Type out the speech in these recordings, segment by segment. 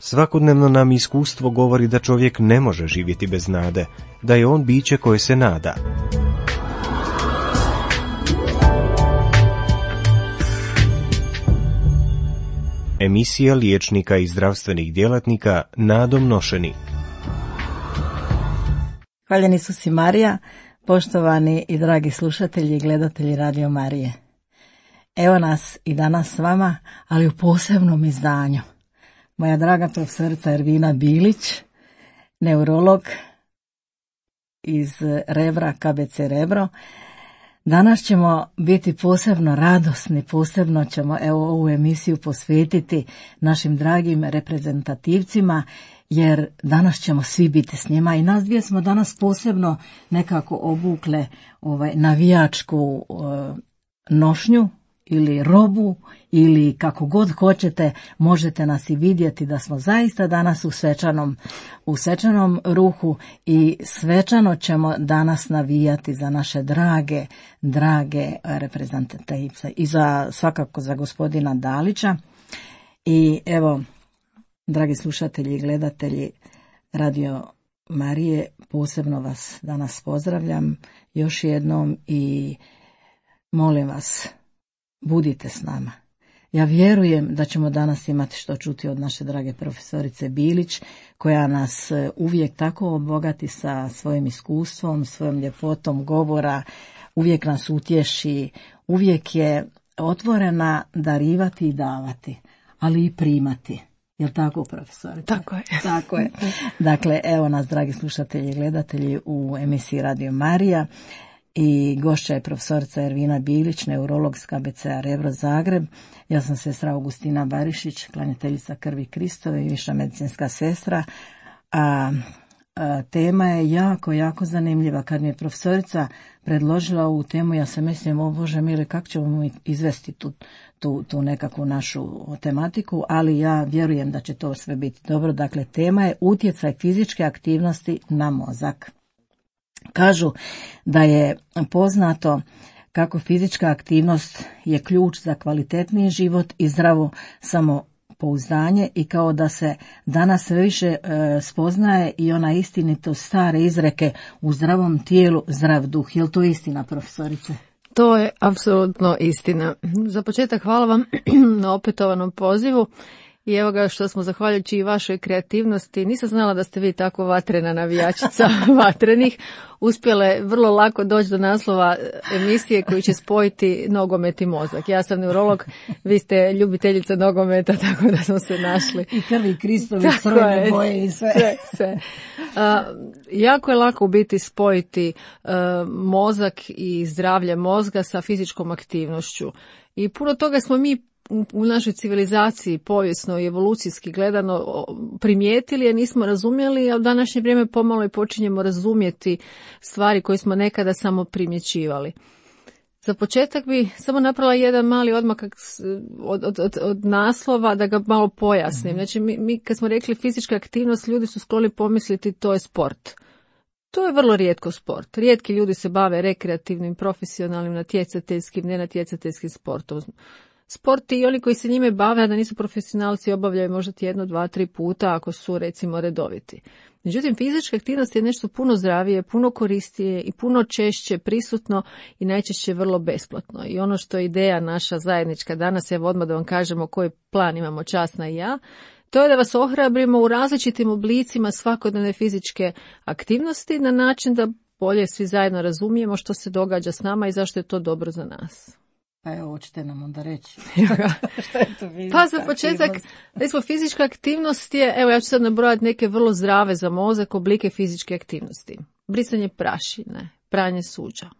Svakodnevno nam iskustvo govori da čovjek ne može živjeti bez nade, da je on biće koje se nada. Emisija liječnika i zdravstvenih djelatnika nadom nošeni. Hvaljeni Isus i Marija, poštovani i dragi slušatelji i gledatelji Radio Marije. Evo nas i danas s vama, ali u posebnom izdanju. Moja draga profesorica Ervina Bilić, neurolog iz Rebra, KBC Rebro. Danas ćemo biti posebno radosni, posebno ćemo ovu emisiju posvetiti našim dragim reprezentativcima, jer danas ćemo svi biti s njima i nas dvije smo danas posebno nekako obukle navijačku nošnju ili robu ili kako god hoćete, možete nas i vidjeti da smo zaista danas u svečanom ruhu i svečano ćemo danas navijati za naše drage reprezentativce i svakako za gospodina Dalića. I evo, dragi slušatelji i gledatelji Radio Marije, posebno vas danas pozdravljam još jednom i molim vas, budite s nama. Ja vjerujem da ćemo danas imati što čuti od naše drage profesorice Bilić, koja nas uvijek tako obogati sa svojim iskustvom, svojom ljepotom govora, uvijek nas utješi, uvijek je otvorena darivati i davati, ali i primati. Jel' tako, profesorice? Tako je. Tako je. Dakle, evo nas, dragi slušatelji i gledatelji, u emisiji Radio Marija. I gošća je profesorica Ervina Bilić, neurolog s KBC-a Rebro Zagreb. Ja sam sestra Augustina Barišić, klanjateljica krvi Kristove i viša medicinska sestra. A tema je jako zanimljiva. Kad mi je profesorica predložila ovu temu, ja se mislim, o Bože mili, kako ćemo mi izvesti tu nekakvu našu tematiku, ali ja vjerujem da će to sve biti dobro. Dakle, tema je utjecaj fizičke aktivnosti na mozak. Kažu da je poznato kako fizička aktivnost je ključ za kvalitetniji život i zdravo samopouzdanje i kao da se danas sve više spoznaje i ona istinitost stare izreke u zdravom tijelu, zdrav duh. Je li to istina, profesorice? To je apsolutno istina. Za početak hvala vam na opetovanom pozivu. I evo ga što smo, zahvaljujući i vašoj kreativnosti, nisam znala da ste vi tako vatrena navijačica vatrenih, uspjele vrlo lako doći do naslova emisije koji će spojiti nogomet i mozak. Ja sam neurolog, vi ste ljubiteljica nogometa, tako da smo se našli. I krvi Kristovi, crvene boje i sve. Jako je lako u biti spojiti mozak i zdravlje mozga sa fizičkom aktivnošću. I puno toga smo mi u našoj civilizaciji povijesno i evolucijski gledano primijetili, jer nismo razumjeli, a u današnje vrijeme pomalo i počinjemo razumjeti stvari koje smo nekada samo primjećivali. Za početak bi samo napravila jedan mali odmak od naslova da ga malo pojasnim. Znači, mi kad smo rekli fizička aktivnost, ljudi su skloni pomisliti to je sport. To je vrlo rijetko sport. Rijetki ljudi se bave rekreativnim, profesionalnim, natjecateljskim, nenatjecateljskim sportom. Sport i oni koji se njime bave, a da nisu profesionalci, obavljaju možda 1, 2, 3 puta ako su recimo redoviti. Međutim, fizička aktivnost je nešto puno zdravije, puno koristije i puno češće prisutno i najčešće vrlo besplatno. I ono što je ideja naša zajednička danas, evo odmah da vam kažemo koji plan imamo Časna i ja, to je da vas ohrabrimo u različitim oblicima svakodnevne fizičke aktivnosti na način da bolje svi zajedno razumijemo što se događa s nama i zašto je to dobro za nas. Pa evo, hoćete nam onda reći. Šta je to pa za početak, fizička aktivnost je, evo ja ću sad nabrojati neke vrlo zdrave za mozak oblike fizičke aktivnosti. Brisanje prašine, pranje suđa,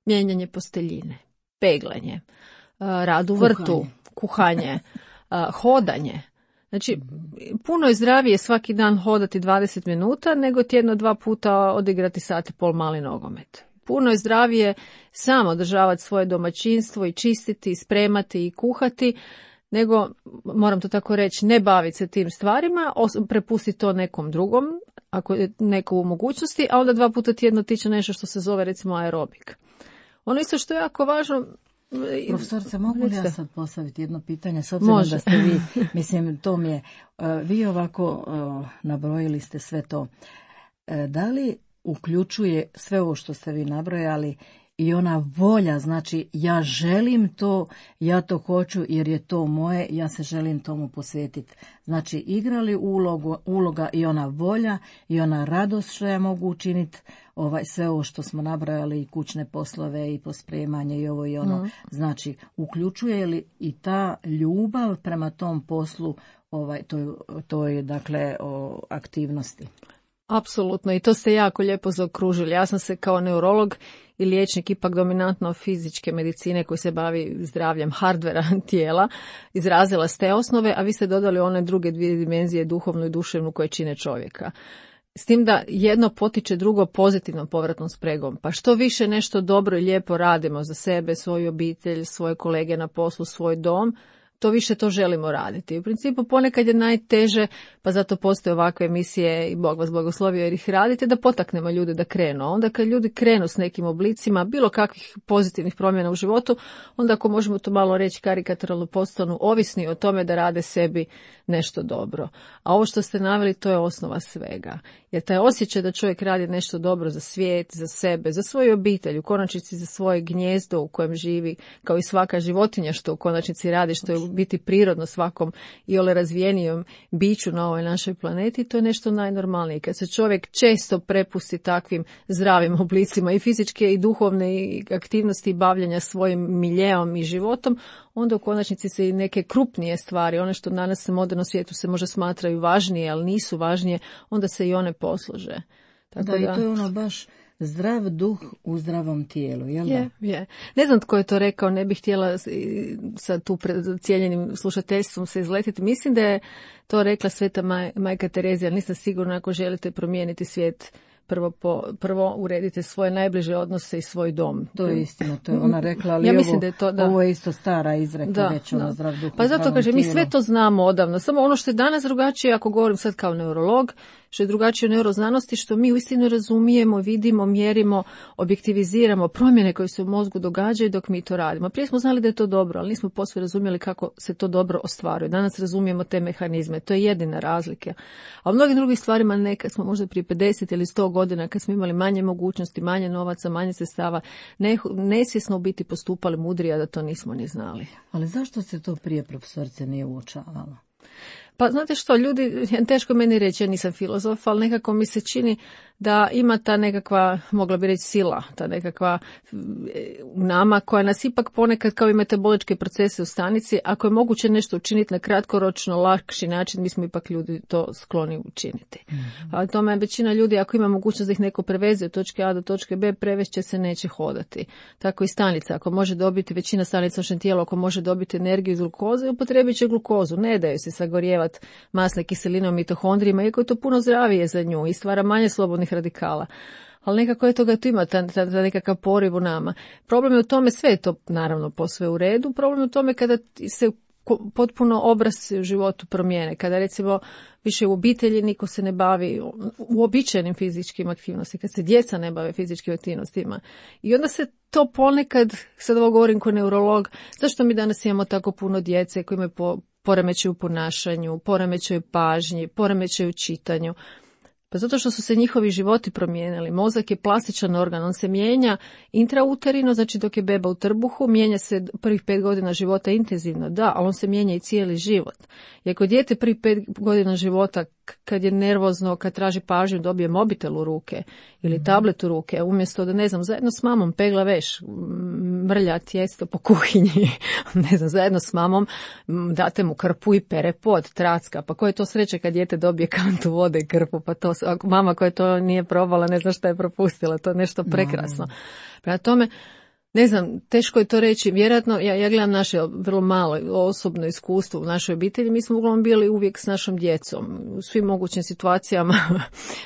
mijenjanje posteljine, peglanje, rad u vrtu, kuhanje, hodanje. Znači, puno je zdravije svaki dan hodati 20 minuta nego tjedno 2 puta odigrati sat i pol mali nogomet. Puno je zdravije samo održavati svoje domaćinstvo i čistiti, spremati i kuhati, nego, moram to tako reći, ne baviti se tim stvarima, prepustiti to nekom drugom, ako je neko u mogućnosti, a onda 2 puta tjedno tiče nešto što se zove recimo aerobik. Ono isto što je jako važno, Profesorice, mogu li ja sad postaviti jedno pitanje, s obzirom da ste vi, mislim, to mi je, vi ovako nabrojili ste sve to. Da li uključuje sve ovo što ste vi nabrojali i ona volja, znači ja želim to, ja to hoću jer je to moje, ja se želim tomu posvetiti. Znači igra li uloga i ona volja i ona radost što ja mogu učiniti, sve ovo što smo nabrojali i kućne poslove i pospremanje i ovo i ono. Znači uključuje li i ta ljubav prema tom poslu, to je dakle aktivnosti. Apsolutno, i to ste jako lijepo zaokružili. Ja sam se kao neurolog i liječnik ipak dominantno fizičke medicine koji se bavi zdravljem hardvera tijela izrazila s te osnove, a vi ste dodali one druge dvije dimenzije, duhovnu i duševnu, koje čine čovjeka. S tim da jedno potiče drugo pozitivnom povratnom spregom. Pa što više nešto dobro i lijepo radimo za sebe, svoju obitelj, svoje kolege na poslu, svoj dom, to više to želimo raditi. U principu ponekad je najteže, pa zato postoje ovakve emisije i Bog vas blagoslovio jer ih radite, da potaknemo ljude da krenu. Onda kad ljudi krenu s nekim oblicima bilo kakvih pozitivnih promjena u životu, onda ako možemo to malo reći karikaturalno, postanu ovisni o tome da rade sebi nešto dobro. A ovo što ste naveli, to je osnova svega. Jer taj osjećaj da čovjek radi nešto dobro za svijet, za sebe, za svoju obitelj, u konačnici za svoje gnijezdo u kojem živi, kao i svaka životinja što u konačnici radi, što je biti prirodno svakom iole razvijenijom biću na ovoj našoj planeti, to je nešto najnormalnije. Kad se čovjek često prepusti takvim zdravim oblicima i fizičke i duhovne i aktivnosti i bavljenja svojim miljeom i životom, onda u konačnici se i neke krupnije stvari, one što danas u modernom svijetu se možda smatraju važnije, ali nisu važnije, onda se i one poslože. Tako da, i to je ono baš zdrav duh u zdravom tijelu, jel da? Je. Ne znam tko je to rekao, ne bih htjela sad tu pred cijenjenim slušateljstvom se izletiti. Mislim da je to rekla Sveta Majka Terezija, ali nisam sigurna, ako želite promijeniti svijet, prvo uredite svoje najbliže odnose i svoj dom. To je istina, to je ona rekla, ali ovo je isto stara izreka, već ono zdrav duh. Pa zato kažem, mi sve to znamo odavno, samo ono što je danas drugačije, ako govorim sad kao neurolog, što je drugačije u neuroznanosti, što mi uistinu razumijemo, vidimo, mjerimo, objektiviziramo promjene koje se u mozgu događaju dok mi to radimo. Prije smo znali da je to dobro, ali nismo posve razumjeli kako se to dobro ostvaruje. Danas razumijemo te mehanizme, to je jedina razlika. A u mnogim drugim stvarima nekad smo možda prije 50 ili 100 godina, kad smo imali manje mogućnosti, manje novaca, manje sredstava, nesvjesno u biti postupali mudrije, a da to nismo ni znali. Ali zašto se to prije, profesorice, nije uočavalo? Pa znate što, ljudi, teško meni reći, ja nisam filozof, ali nekako mi se čini da ima ta nekakva, mogla bi reći, sila, ta nekakva u nama koja nas ipak ponekad kao i metaboličke procese u stanici, ako je moguće nešto učiniti na kratkoročno, lakši način, mi smo ipak ljudi to skloni učiniti. Ali tome je većina ljudi, ako ima mogućnost da ih neko preveze od točke A do točke B, prevešće se, neće hodati. Tako i stanica, ako može dobiti, većina stanica u našem tijelu, ako može dobiti energiju iz glukoze, upotrebit će glukozu, ne daju se sagorijevati masne kiseline u mitohondrijima, iako je to puno zdravije za nju i stvara manje slobodnih radikala. Ali nekako je toga tu ima, ta nekakav poriv u nama. Problem je u tome, sve je to naravno posve u redu, problem je u tome kada se potpuno obraz u životu promijene, kada recimo više u obitelji niko se ne bavi uobičajenim fizičkim aktivnostima, kad se djeca ne bave fizičkim aktivnostima. I onda se to ponekad, sad ovo govorim kao neurolog, zašto mi danas imamo tako puno djece koji imaju poremećaju u ponašanju, poremećaju pažnji, poremećaju u čitanju? Pa zato što su se njihovi životi promijenili. Mozak je plastičan organ, on se mijenja intrauterino, znači dok je beba u trbuhu, mijenja se prvih 5 godina života intenzivno, da, ali on se mijenja i cijeli život. I ako dijete prvih 5 godina života, kad je nervozno, kad traži pažnju, dobije mobitel u ruke ili tablet u ruke, umjesto da, ne znam, zajedno s mamom pegla veš, mrlja tijesto po kuhinji, ne znam, zajedno s mamom date mu krpu i pere pod, tracka, pa koje je to sreće kad dijete dobije kantu vode i krpu, pa to, mama koja to nije probala, ne zna šta je propustila, to je nešto prekrasno. Prema tome, ne znam, teško je to reći, vjerojatno, ja gledam naše vrlo malo osobno iskustvo u našoj obitelji, mi smo uglavnom bili uvijek s našom djecom, u svim mogućim situacijama,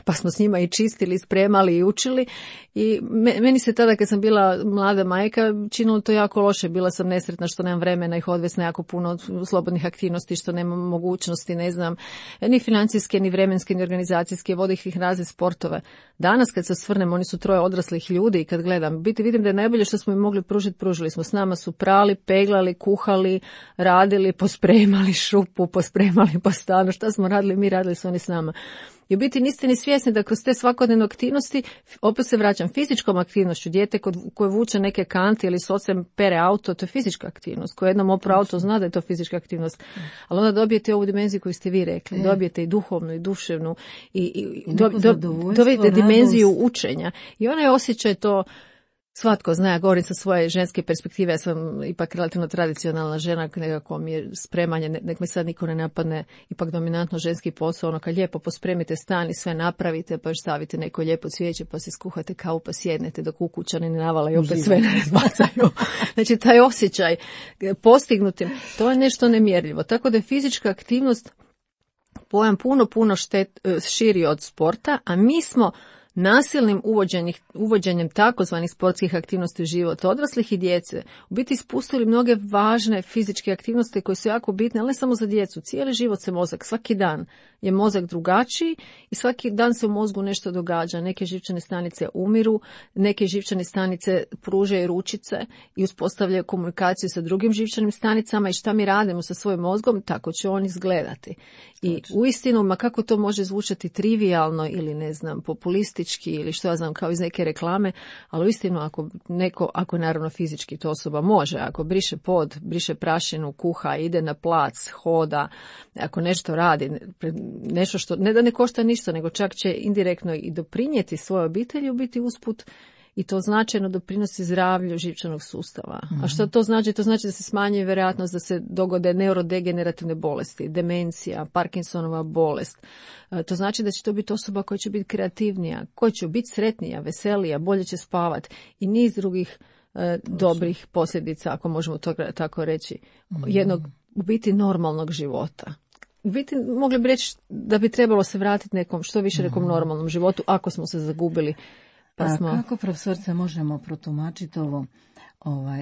pa smo s njima i čistili, spremali i učili i meni se tada kad sam bila mlada majka činilo to jako loše, bila sam nesretna što nemam vremena ih odvesti na jako puno slobodnih aktivnosti, što nemam mogućnosti, ne znam, ni financijske, ni vremenske, ni organizacijske, vodih ih razne sportove. Danas kad se osvrnem, oni su 3 odraslih ljudi i kad gledam, vidim da je najbolje što smo mogli pružiti, pružili smo. S nama su prali, peglali, kuhali, radili, pospremali šupu, pospremali po stanu. Šta smo radili? Mi radili su oni s nama. I u biti niste ni svjesni da kroz te svakodnevne aktivnosti, opet se vraćam, fizičkom aktivnošću, dijete koje vuče neke kanti ili s ocem pere auto, to je fizička aktivnost. Ko jednom opra auto zna da je to fizička aktivnost. Ali onda dobijete ovu dimenziju koju ste vi rekli. Dobijete i duhovnu i duševnu i dobijete dimenziju učenja. I onaj osjećaj to, svatko zna, ja govorim sa svoje ženske perspektive, ja sam ipak relativno tradicionalna žena, nekako mi je spremanje, nek me sad niko ne napadne, ipak dominantno ženski posao, ono kad lijepo pospremite stan i sve napravite, pa još stavite neko lijepo cvijeće, pa se skuhate kavu, pa sjednete dok ukućani ne navale i opet sve ne razbacaju. Znači taj osjećaj postignutim, to je nešto nemjerljivo. Tako da je fizička aktivnost pojam puno širi od sporta, a mi smo nasilnim uvođenjem takozvanih sportskih aktivnosti u život odraslih i djece u biti ispustili mnoge važne fizičke aktivnosti koje su jako bitne, ali ne samo za djecu. Cijeli život se mozak, svaki dan je mozak drugačiji i svaki dan se u mozgu nešto događa. Neke živčane stanice umiru, neke živčane stanice pružaju ručice i uspostavljaju komunikaciju sa drugim živčanim stanicama i šta mi radimo sa svojim mozgom, tako će on izgledati. I uistinu, ma kako to može zvučati trivijalno ili ne znam, populistički ili što ja znam kao iz neke reklame, ali uistinu ako naravno fizički to osoba može, ako briše pod, briše prašinu, kuha, ide na plac, hoda, ako nešto radi, nešto što ne da ne košta ništa, nego čak će indirektno i doprinijeti svojoj obitelji, u biti usput i to značajno doprinosi zdravlju živčanog sustava. A što to znači? To znači da se smanjuje vjerojatnost da se dogode neurodegenerativne bolesti, demencija, Parkinsonova bolest. To znači da će to biti osoba koja će biti kreativnija, koja će biti sretnija, veselija, bolje će spavati i niz drugih dobrih posljedica, ako možemo to tako reći, jednog u biti normalnog života. U biti mogli bi reći da bi trebalo se vratiti nekom, što više nekom normalnom životu, ako smo se zagubili. Kako, profesorice, možemo protumačiti ovo?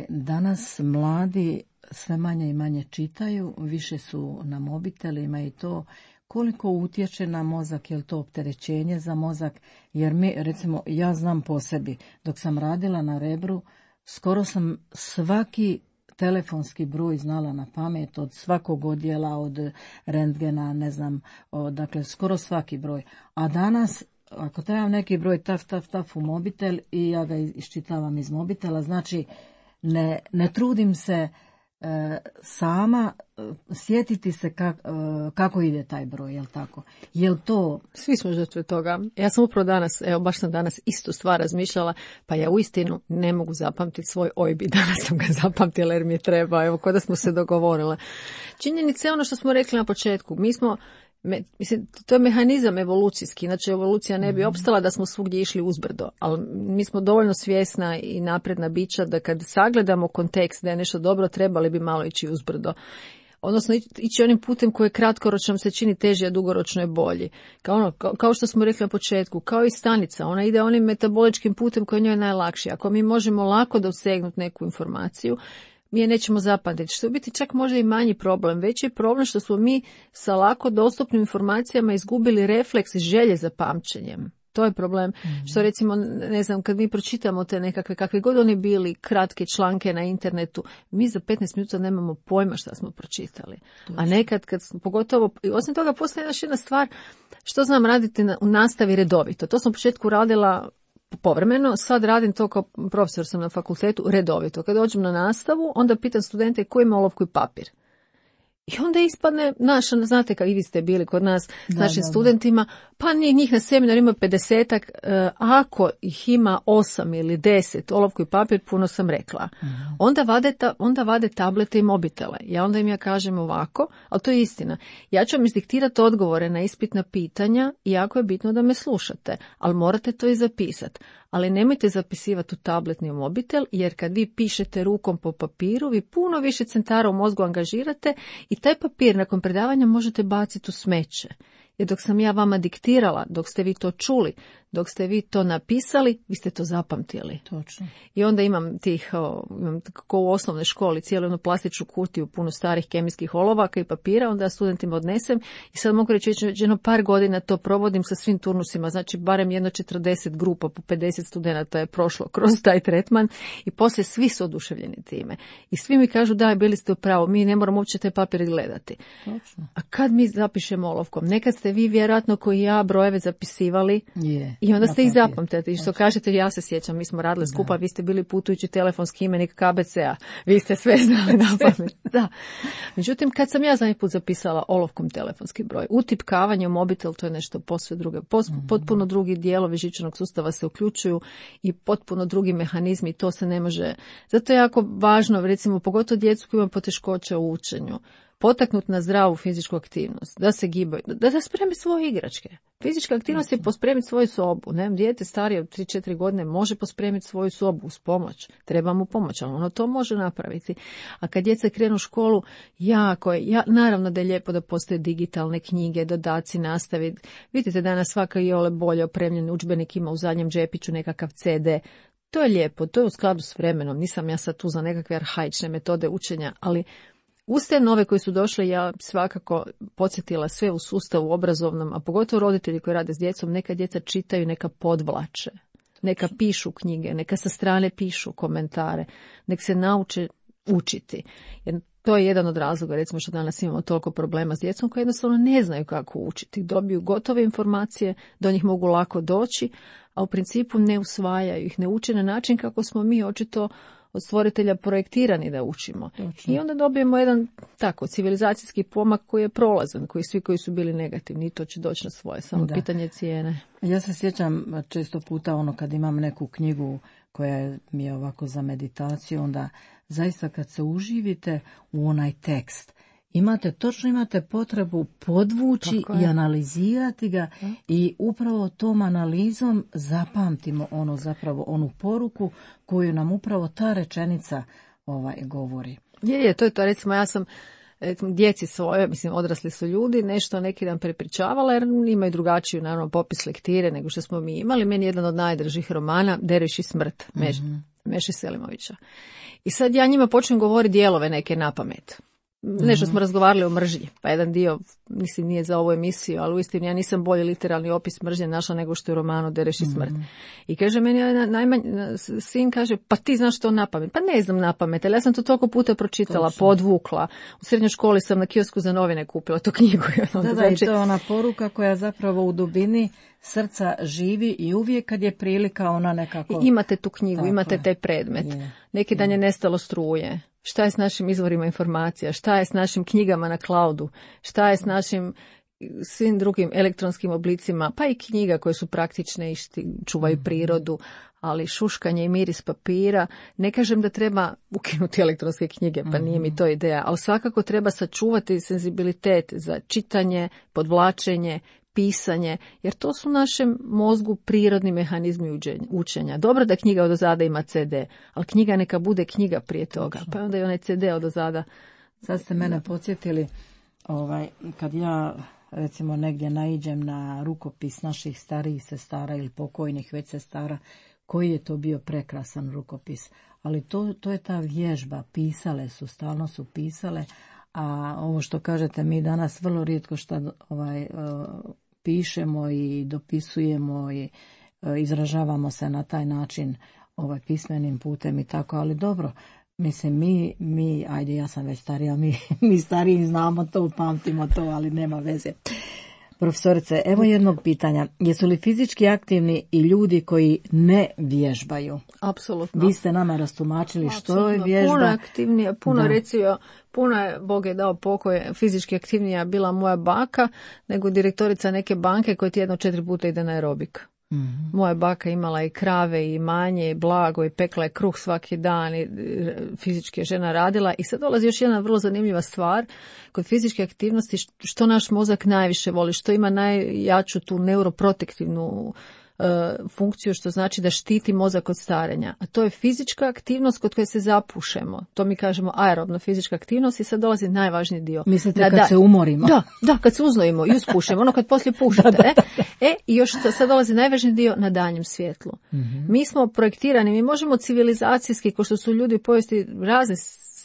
Danas mladi sve manje i manje čitaju, više su na mobitelima i to koliko utječe na mozak, je li to opterećenje za mozak? Jer mi, recimo, ja znam po sebi, dok sam radila na Rebru, skoro sam svaki telefonski broj znala na pamet, od svakog odjela, od rentgena, ne znam, dakle, skoro svaki broj. A danas, ako trebam neki broj taf u mobitel i ja ga iščitavam iz mobitela, znači ne trudim se sama sjetiti se kako ide taj broj, jel tako? Jel to... Svi smo žrtve toga. Ja sam upravo danas, baš sam danas istu stvar razmišljala, pa ja uistinu ne mogu zapamtiti svoj OIB. Danas sam ga zapamtila jer mi je treba, evo, kod da smo se dogovorila. Činjenica je ono što smo rekli na početku. Mi smo, mislim, to je mehanizam evolucijski, inače evolucija ne bi opstala da smo svugdje išli uzbrdo, ali mi smo dovoljno svjesna i napredna bića da kad sagledamo kontekst da je nešto dobro, trebali bi malo ići uzbrdo. Odnosno ići onim putem koji je kratkoročno se čini teži, a dugoročno je bolji. Kao što smo rekli na početku, kao i stanica, ona ide onim metaboličkim putem koji je njoj najlakši. Ako mi možemo lako dosegnuti neku informaciju, mi je nećemo zapamtiti, što je biti čak možda i manji problem. Veći je problem što smo mi sa lako dostupnim informacijama izgubili refleks i želje za pamćenjem. To je problem. Što recimo, ne znam, kad mi pročitamo te nekakve, kakve god oni bili, kratke članke na internetu, mi za 15 minuta nemamo pojma šta smo pročitali. A nekad, pogotovo, osim toga postoji još jedna stvar, što znam raditi u nastavi redovito. To sam u početku radila povremeno, sad radim to kao profesor sam na fakultetu redovito. Kad dođem na nastavu, onda pitam studente ko ima olovku i papir. I onda ispadne naša, znate kao i vi ste bili kod nas s našim studentima, pa njih na seminaru ima 50-ak, ako ih ima 8 ili 10, olovku i papir, puno sam rekla. Onda vade tablete i mobitele. Ja onda im kažem ovako, ali to je istina. Ja ću vam izdiktirati odgovore na ispitna pitanja i jako je bitno da me slušate, ali morate to i zapisati. Ali nemojte zapisivati u tablet ni u mobitel, jer kad vi pišete rukom po papiru, vi puno više centara u mozgu angažirate i taj papir nakon predavanja možete baciti u smeće. Jer dok sam ja vama diktirala, dok ste vi to čuli, Dok ste vi to napisali, vi ste to zapamtili. Točno. I onda imam kao u osnovnoj školi, cijelu jednu plastičnu kutiju, puno starih kemijskih olovaka i papira, onda studentima odnesem i sad mogu reći već jedno par godina to provodim sa svim turnusima, znači barem jedno 40 grupa po 50 studenata je prošlo kroz taj tretman i poslije svi su oduševljeni time. I svi mi kažu da, bili ste u pravu, mi ne moramo uopće te papire gledati. Točno. A kad mi zapišemo olovkom, nekad ste vi vjerojatno koji ja brojeve zapisivali i onda ste ih zapamtili. I što kažete, ja se sjećam, mi smo radili skupa, vi ste bili putujući telefonski imenik KBC-a, vi ste sve znali na pamet. Da. Međutim, kad sam ja zadnji put zapisala olovkom telefonski broj, utipkavanje u mobitel, to je nešto posve drugo. Potpuno drugi dijelovi živčanog sustava se uključuju i potpuno drugi mehanizmi, to se ne može. Zato je jako važno, recimo, pogotovo djecu koji imaju poteškoća u učenju, potaknut na zdravu fizičku aktivnost, da se gibaju, da spremi svoje igračke. Fizička aktivnost je pospremiti svoju sobu. Ne? Dijete starije od 3-4 godine može pospremiti svoju sobu uz pomoć. Treba mu pomoć, ali ono to može napraviti. A kad djeca krenu u školu, naravno da je lijepo da postoje digitalne knjige, dodaci, nastavi. Vidite, danas svaka iole bolje opremljen udžbenik ima u zadnjem džepiću nekakav CD. To je lijepo, to je u skladu s vremenom. Nisam ja sad tu za nekakve arhaične metode učenja, ali uz te nove koji su došle, ja svakako podsjetila sve u sustavu obrazovnom, a pogotovo roditelji koji rade s djecom, neka djeca čitaju, neka podvlače, neka pišu knjige, neka sa strane pišu komentare, nek se nauče učiti. Jer to je jedan od razloga, recimo što danas imamo toliko problema s djecom koji jednostavno ne znaju kako učiti. Dobiju gotove informacije, do njih mogu lako doći, a u principu ne usvajaju ih, ne uče na način kako smo mi očito od stvoritelja projektirani da učimo. Točno. I onda dobijemo jedan tako civilizacijski pomak koji je prolazan, koji svi koji su bili negativni i to će doći na svoje, samo pitanje cijene. Ja se sjećam često puta kad imam neku knjigu koja mi je ovako za meditaciju, onda zaista kad se uživite u onaj tekst, imate potrebu podvući i analizirati ga i upravo tom analizom zapamtimo onu poruku koju nam upravo ta rečenica govori. To je to, recimo ja sam djeci svoje, odrasli su ljudi, nešto neki dan prepričavala jer imaju drugačiju naravno popis lektire nego što smo mi imali. Meni je jedan od najdražih romana Derviš i smrt, Meše Selimovića. I sad ja njima počnem govoriti dijelove neke na pamet. Nešto smo razgovarali o mržnji, pa jedan dio, nije za ovu emisiju, ali uistinu ja nisam bolji literalni opis mržnje našla nego što je u romanu Derviš i smrt. I kaže meni, sin kaže, pa ti znaš to napamet? Pa ne znam napamet, ali ja sam to toliko puta pročitala, podvukla. U srednjoj školi sam na kiosku za novine kupila tu knjigu. I to je ona poruka koja zapravo u dubini srca živi i uvijek kad je prilika ona nekako... I imate tu knjigu, imate taj predmet. Neki dan je nestalo struje. Šta je s našim izvorima informacija, šta je s našim knjigama na cloudu, šta je s našim svim drugim elektronskim oblicima, pa i knjiga koje su praktične i čuvaju prirodu, ali šuškanje i miris papira. Ne kažem da treba ukinuti elektronske knjige, pa nije mi to ideja, ali svakako treba sačuvati senzibilitet za čitanje, podvlačenje, pisanje, jer to su našem mozgu prirodni mehanizmi učenja. Dobro da knjiga odozada ima CD, ali knjiga neka bude knjiga prije toga, pa onda i onaj CD odozada. Sad ste mene podsjetili, kad ja recimo negdje naiđem na rukopis naših starijih sestara ili pokojnih već sestara, koji je to bio prekrasan rukopis, ali to je ta vježba, pisale su, stalno su pisale, a ovo što kažete mi danas vrlo rijetko što pišemo i dopisujemo i izražavamo se na taj način pismenim putem i tako, ali dobro, mi ajde ja sam već starija, mi stariji znamo to, pamtimo to, ali nema veze. Profesorice, evo jednog pitanja. Jesu li fizički aktivni i ljudi koji ne vježbaju? Apsolutno. Vi ste nama rastumačili što je vježba. Puno aktivnija, puno je, Bog je dao pokoj, fizički aktivnija bila moja baka nego direktorica neke banke koja tjedno 4 puta ide na aerobik. Moja baka imala i krave i manje i blago i pekla je kruh svaki dan i fizički je žena radila. I sad dolazi još jedna vrlo zanimljiva stvar kod fizičke aktivnosti, što naš mozak najviše voli, što ima najjaču tu neuroprotektivnu funkciju, što znači da štiti mozak od starenja. A to je fizička aktivnost kod koje se zapušemo. To mi kažemo aerobna fizička aktivnost i sad dolazi najvažniji dio. Mislite kad se umorimo? Da, kad se uznojimo i uspušemo, ono kad poslije pušate. I još sad dolazi najvažniji dio na danjem svjetlu. Mi smo projektirani, mi možemo civilizacijski, ko što su ljudi u povijesti razne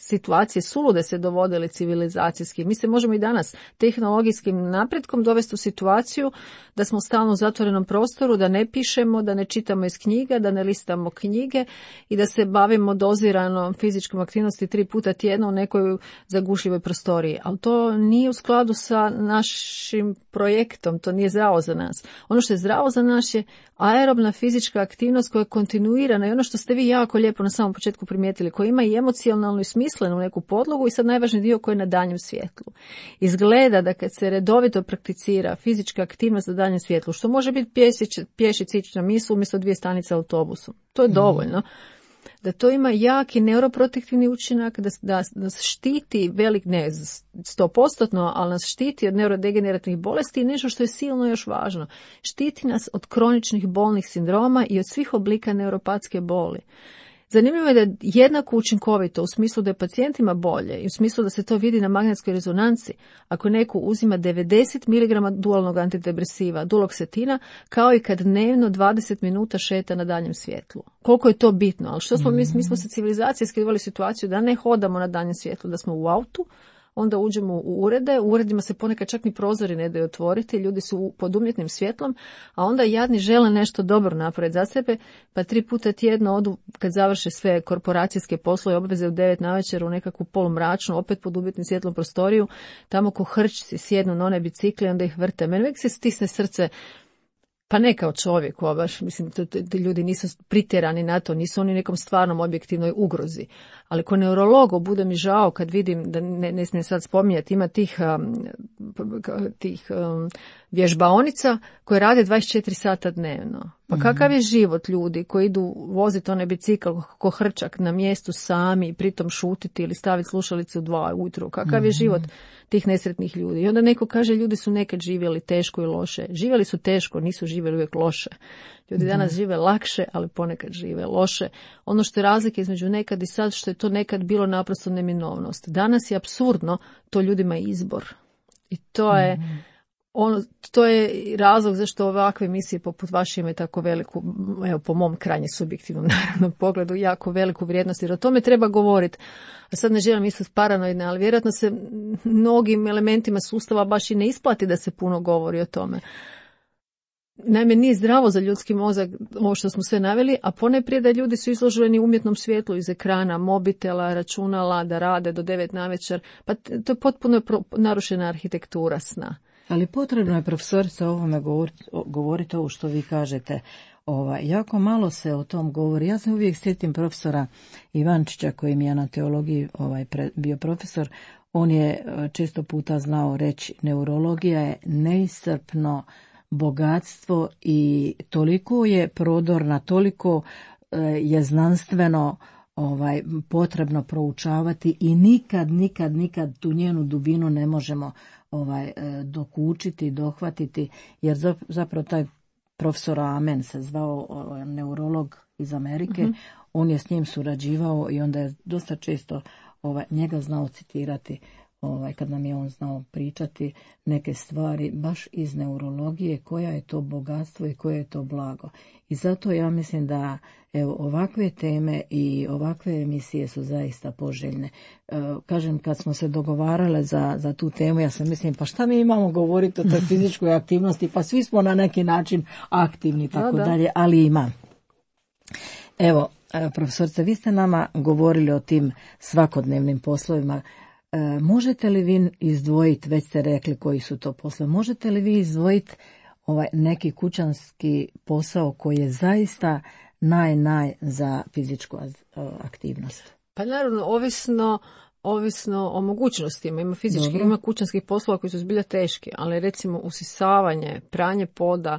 situacije sulude se dovodili civilizacijski. Mi se možemo i danas tehnologijskim napretkom dovesti u situaciju da smo stalno u zatvorenom prostoru, da ne pišemo, da ne čitamo iz knjiga, da ne listamo knjige i da se bavimo doziranom fizičkom aktivnosti 3 puta tjedno u nekoj zagušljivoj prostoriji. Ali to nije u skladu sa našim projektom, to nije zdravo za nas. Ono što je zdravo za nas je aerobna fizička aktivnost koja je kontinuirana i ono što ste vi jako lijepo na samom početku primijetili, koja ima i emocionalnu i smislenu neku podlogu i sad najvažniji dio koji je na danjem svjetlu. Izgleda da kad se redovito prakticira fizička aktivnost na danjem svjetlu, što može biti pješić ići na misu umjesto 2 stanice autobusom, to je dovoljno. Da to ima jaki neuroprotektivni učinak, da nas štiti velik, ne 100%, ali nas štiti od neurodegenerativnih bolesti i nešto što je silno još važno. Štiti nas od kroničnih bolnih sindroma i od svih oblika neuropatske boli. Zanimljivo je da je jednako učinkovito u smislu da je pacijentima bolje i u smislu da se to vidi na magnetskoj rezonanci ako neko uzima 90 mg dualnog antidepresiva, duloksetina, kao i kad dnevno 20 minuta šeta na danjem svjetlu. Koliko je to bitno, ali što smo mi smo se civilizacijski doveli situaciju da ne hodamo na danjem svjetlu, da smo u autu, onda uđemo u urede, u uredima se ponekad čak ni prozori ne daju otvoriti, ljudi su pod umjetnim svjetlom, a onda jadni žele nešto dobro napraviti za sebe, pa 3 puta tjedno odu kad završe sve korporacijske poslove, obveze u 9 navečer u nekakvu polumračnu, opet pod umjetnim svjetlom prostoriju, tamo ko hrčci sjednu na one bicikle, onda ih vrte. Meni uvijek se stisne srce. Pa ne kao čovjeku, baš, mislim, ti ljudi nisu pritjerani na to, nisu oni nekom stvarnom objektivnoj ugrozi. Ali ko neurologu bude mi žao kad vidim, da ne smijem sad spominjati, ima tih vježbaonica koje rade 24 sata dnevno. Pa kakav je život ljudi koji idu voziti onaj bicikl ko hrčak na mjestu sami i pritom šutiti ili staviti slušalice u 2 ujutro? Kakav je život tih nesretnih ljudi? I onda neko kaže ljudi su nekad živjeli teško i loše. Živjeli su teško, nisu živjeli uvijek loše. Ljudi danas žive lakše, ali ponekad žive loše. Ono što je razlika između nekad i sad, što je to nekad bilo naprosto neminovnost. Danas je apsurdno, to ljudima izbor. I to je to je razlog zašto ovakve emisije poput vaše imaju tako veliku, evo po mom krajnje subjektivnom naravno pogledu, jako veliku vrijednost, jer o tome treba govoriti. A sad ne želim ispast paranoidna, ali vjerojatno se mnogim elementima sustava baš i ne isplati da se puno govori o tome. Naime, nije zdravo za ljudski mozak ovo što smo sve naveli, a ponajprije da ljudi su izloženi umjetnom svjetlu iz ekrana, mobitela, računala, da rade do 9 navečer, pa to je potpuno narušena arhitektura sna. Ali potrebno je, profesorica, o ovome govoriti ovo što vi kažete. Jako malo se o tom govori. Ja se uvijek sjetim profesora Ivančića koji mi je na teologiji bio profesor. On je često puta znao reći, neurologija je neiscrpno bogatstvo i toliko je prodorna, toliko je znanstveno potrebno proučavati i nikad tu njenu dubinu ne možemo dokučiti, dohvatiti, jer zapravo taj profesor Amen se zvao, neurolog iz Amerike, on je s njim surađivao i onda je dosta često njega znao citirati kad nam je on znao pričati neke stvari baš iz neurologije, koja je to bogatstvo i koje je to blago. I zato ja mislim da ovakve teme i ovakve emisije su zaista poželjne. Kažem, kad smo se dogovarale za tu temu, ja sam mislim, pa šta mi imamo govoriti o toj fizičkoj aktivnosti, pa svi smo na neki način aktivni, tako dalje, ali ima. Evo, profesorice, vi ste nama govorili o tim svakodnevnim poslovima. Možete li vi izdvojiti, već ste rekli koji su to poslovi, možete li vi izdvojiti neki kućanski posao koji je zaista naj za fizičku aktivnost? Pa naravno, ovisno o mogućnostima. Ima fizičkih, ima kućanskih poslova koji su zbilja teški, ali recimo usisavanje, pranje poda,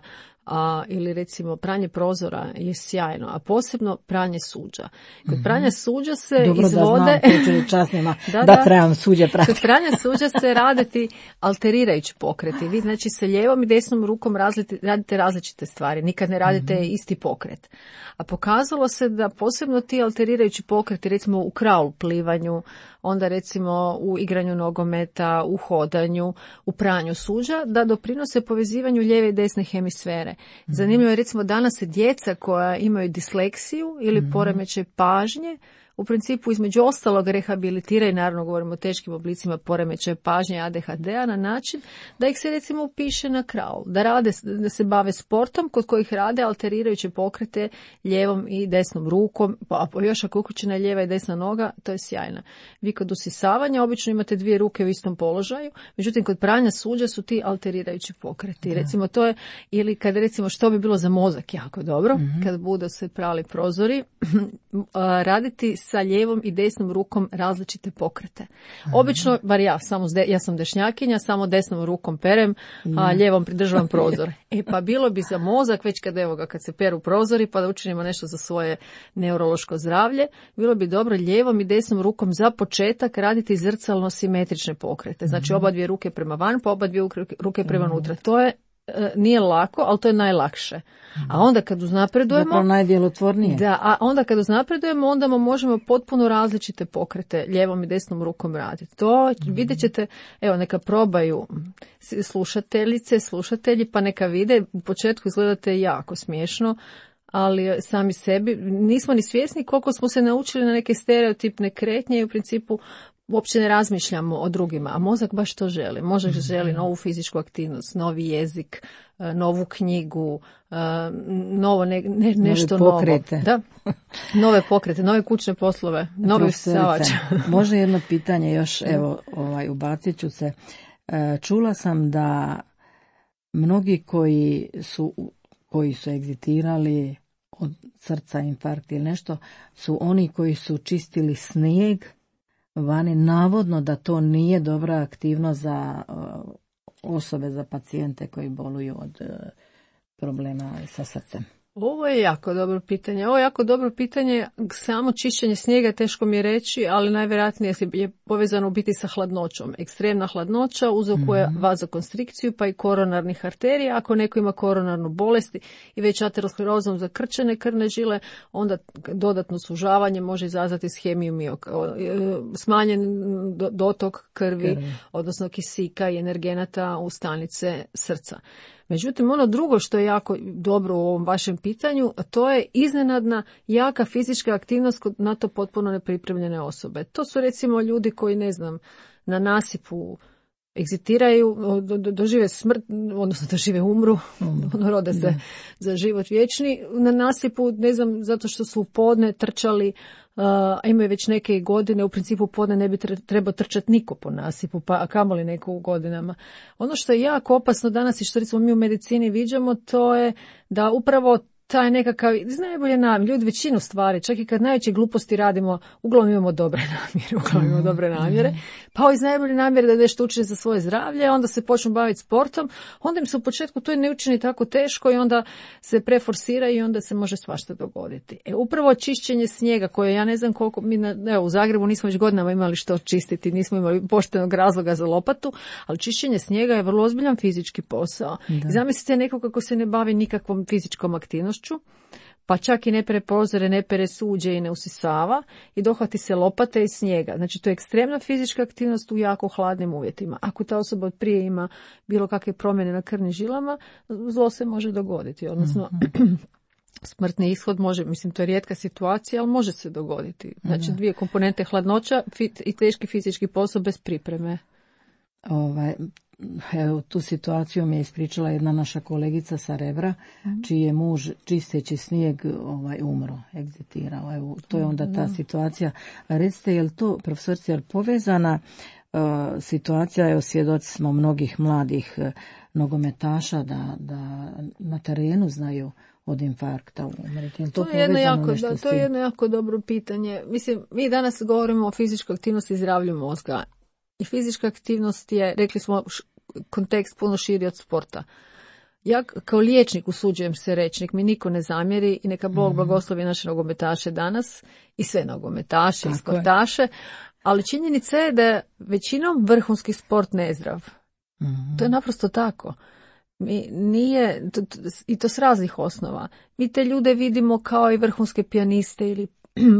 ili recimo pranje prozora je sjajno, a posebno pranje suđa. Kod pranja suđa se dobro izvode... da trebam suđe prati. Kod pranja suđa se raditi alterirajući pokreti. Vi znači sa lijevom i desnom rukom radite različite stvari. Nikad ne radite isti pokret. A pokazalo se da posebno ti alterirajući pokreti, recimo u kraul plivanju, onda recimo u igranju nogometa, u hodanju, u pranju suđa, da doprinose povezivanju lijeve i desne hemisfere. Zanimljivo je recimo danas se djeca koja imaju disleksiju ili poremećaj pažnje, u principu između ostalog rehabilitira, i naravno govorimo o teškim oblicima poremećaja pažnje ADHD-a, na način da ih se recimo upiše na kraul, da se bave sportom kod kojih rade alterirajuće pokrete lijevom i desnom rukom, a još ako je uključena lijeva i desna noga, to je sjajno. Vi kod usisavanja obično imate dvije ruke u istom položaju, međutim kod pranja suđa su ti alterirajući pokreti. Recimo to je, ili kad recimo što bi bilo za mozak jako dobro, kad budu se prali prozori, raditi sa lijevom i desnom rukom različite pokrete. Obično, bar ja sam dešnjakinja, samo desnom rukom perem, a lijevom pridržavam prozor. Pa bilo bi za mozak, već kad se peru prozori, pa da učinimo nešto za svoje neurološko zdravlje, bilo bi dobro lijevom i desnom rukom za početak raditi zrcalno simetrične pokrete. Znači oba dvije ruke prema van, pa oba dvije ruke prema unutra. To je nije lako, ali to je najlakše. A onda kad uznapredujemo... Zapravo najdjelotvornije. Da, a onda kad uznapredujemo, onda možemo potpuno različite pokrete lijevom i desnom rukom raditi. To vidjet ćete, evo neka probaju slušatelji, pa neka vide. U početku izgledate jako smiješno, ali sami sebi nismo ni svjesni koliko smo se naučili na neke stereotipne kretnje i u principu uopće ne razmišljamo o drugima, a mozak baš to želi. Mozak želi novu fizičku aktivnost, novi jezik, novu knjigu, nešto novo. Da, nove pokrete, nove kućne poslove, novi usisavač. Može jedno pitanje još, evo, ubacit ću se. Čula sam da mnogi koji su egzitirali od srca, infarkt ili nešto, su oni koji su čistili snijeg vani, navodno da to nije dobra aktivnost za osobe, za pacijente koji boluju od problema sa srcem. Ovo je jako dobro pitanje. Samo čišćenje snijega teško mi je reći, ali najvjerojatnije je povezano u biti sa hladnoćom. Ekstremna hladnoća uzrokuje vazokonstrikciju pa i koronarnih arterija. Ako neko ima koronarnu bolest i već aterosklerozom zakrčene krvne žile, onda dodatno sužavanje može izazvati ishemiju smanjen dotok krvi, odnosno kisika i energenata u stanice srca. Međutim, ono drugo što je jako dobro u ovom vašem pitanju, to je iznenadna jaka fizička aktivnost kod na to potpuno nepripremljene osobe. To su recimo ljudi koji, na nasipu egzitiraju, dožive smrt, odnosno dožive umru, rode se za život vječni. Na nasipu, zato što su u podne trčali, a imaju već neke godine, u principu podne ne bi trebao trčati niko po nasipu, a kamoli neko u godinama. Ono što je jako opasno danas i što recimo mi u medicini viđamo, to je da upravo taj nekakav, iz najbolje namjere, ljudi većinu stvari, čak i kad najveće gluposti radimo, uglavnom imamo dobre namjere, pa iz najbolje namjere da nešto učine za svoje zdravlje, onda se počnu baviti sportom, onda im se u početku to ne učini tako teško i onda se preforsira i onda se može svašta dogoditi. Upravo čišćenje snijega, koje ja ne znam koliko, u Zagrebu nismo već godinama imali što čistiti, nismo imali poštenog razloga za lopatu, ali čišćenje snijega je vrlo ozbiljan fizički posao. I zamislite neko kako se ne bavi nikakvom fizičkom aktivnošću, pa čak i ne pere prozore, ne pere suđe i ne usisava i dohvati se lopate i snijega. Znači to je ekstremna fizička aktivnost u jako hladnim uvjetima. Ako ta osoba od prije ima bilo kakve promjene na krvnim žilama, zlo se može dogoditi. Odnosno, smrtni ishod može, to je rijetka situacija, ali može se dogoditi. Znači dvije komponente, hladnoća i teški fizički posao bez pripreme. Evo, tu situaciju mi je ispričala jedna naša kolegica sa Rebra, čiji je muž čisteći snijeg umro, egzitirao. Evo, to je onda ta situacija. Recite, je li to, profesorice, je li povezana situacija, evo svjedoci smo mnogih mladih nogometaša da na terenu znaju od infarkta umreti. To je jedno jako dobro pitanje. Mi danas govorimo o fizičkoj aktivnosti i zdravlju mozga. I fizička aktivnost je, rekli smo, kontekst puno širi od sporta. Ja kao liječnik usuđujem se reći, nek mi niko ne zamjeri i neka Bog blagoslovi naše nogometaše danas i sve nogometaše i sportaše, ali činjenica je da je većinom vrhunski sport nezdrav. To je naprosto tako. I to s raznih osnova. Mi te ljude vidimo kao i vrhunske pijaniste ili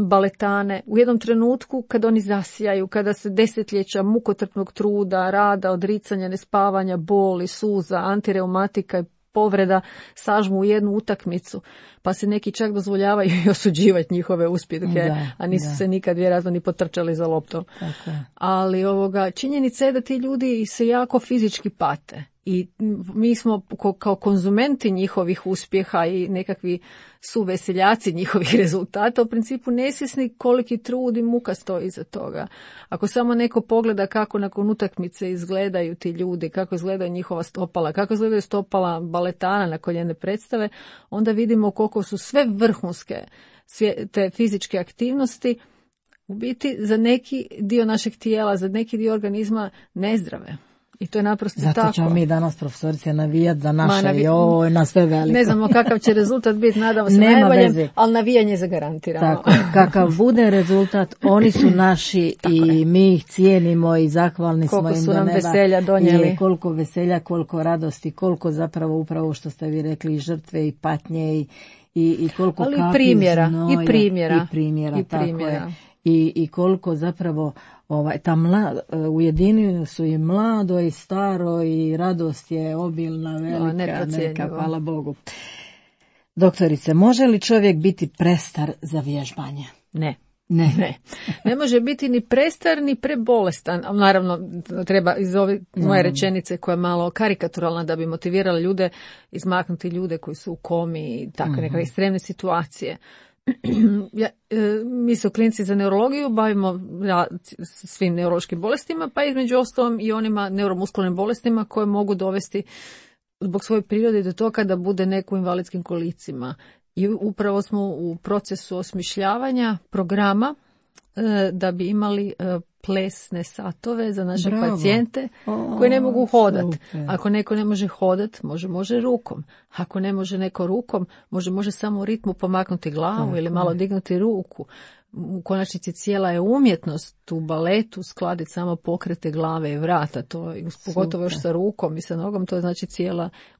baletane. U jednom trenutku kad oni zasijaju, kada se desetljeća mukotrpnog truda, rada, odricanja, nespavanja, boli, suza, antireumatika i povreda sažmu u jednu utakmicu, pa se neki čak dozvoljavaju i osuđivati njihove uspjehe, a nisu se nikad vjerojatno ni potrčali za loptom. Ali činjenica je da ti ljudi se jako fizički pate. I mi smo kao konzumenti njihovih uspjeha i nekakvi suveseljaci njihovih rezultata u principu nesvjesni koliki trud i muka stoji iza toga. Ako samo neko pogleda kako nakon utakmice izgledaju ti ljudi, kako izgledaju njihova stopala, kako izgledaju stopala baletana nakon jedne predstave, onda vidimo koliko su sve vrhunske te fizičke aktivnosti u biti za neki dio našeg tijela, za neki dio organizma nezdrave. I to je naprosto zato tako. Zato ćemo mi danas, profesorice, navijati za naše na sve veliko. Ne znamo kakav će rezultat biti, nadamo se najboljem, ali navijanje je zagarantirano. Tako, kakav bude rezultat, oni su naši i mi ih cijenimo i zahvalni koliko smo im su do nam neba. Veselja donijeli. I koliko veselja, koliko radosti, koliko zapravo upravo što ste vi rekli i žrtve i patnje i koliko ali kapi primjera, znoja. I primjera. Tako je. I koliko zapravo ujedinjeni su i mlado i staro i radost je obilna, velika, neka, hvala Bogu. Doktorice, može li čovjek biti prestar za vježbanje? Ne. Ne može biti ni prestar ni prebolestan. Naravno, treba iz ove moje rečenice koja je malo karikaturalna da bi motivirala ljude, izmaknuti ljude koji su u komi i takve neke ekstremne situacije. Mi se u klinici za neurologiju bavimo svim neurološkim bolestima, pa između ostalom i onima neuromuskularnim bolestima koje mogu dovesti zbog svoje prirode do toga da bude neko u invalidskim kolicima. I upravo smo u procesu osmišljavanja programa da bi imali plesne satove za naše pacijente koji ne mogu hodati. Ako neko ne može hodati, može rukom. Ako ne može neko rukom, može samo u ritmu pomaknuti glavu ili malo dignuti ruku. U konačnici cijela je umjetnost u baletu skladiti samo pokrete glave i vrata, to je pogotovo još sa rukom i sa nogom, to je znači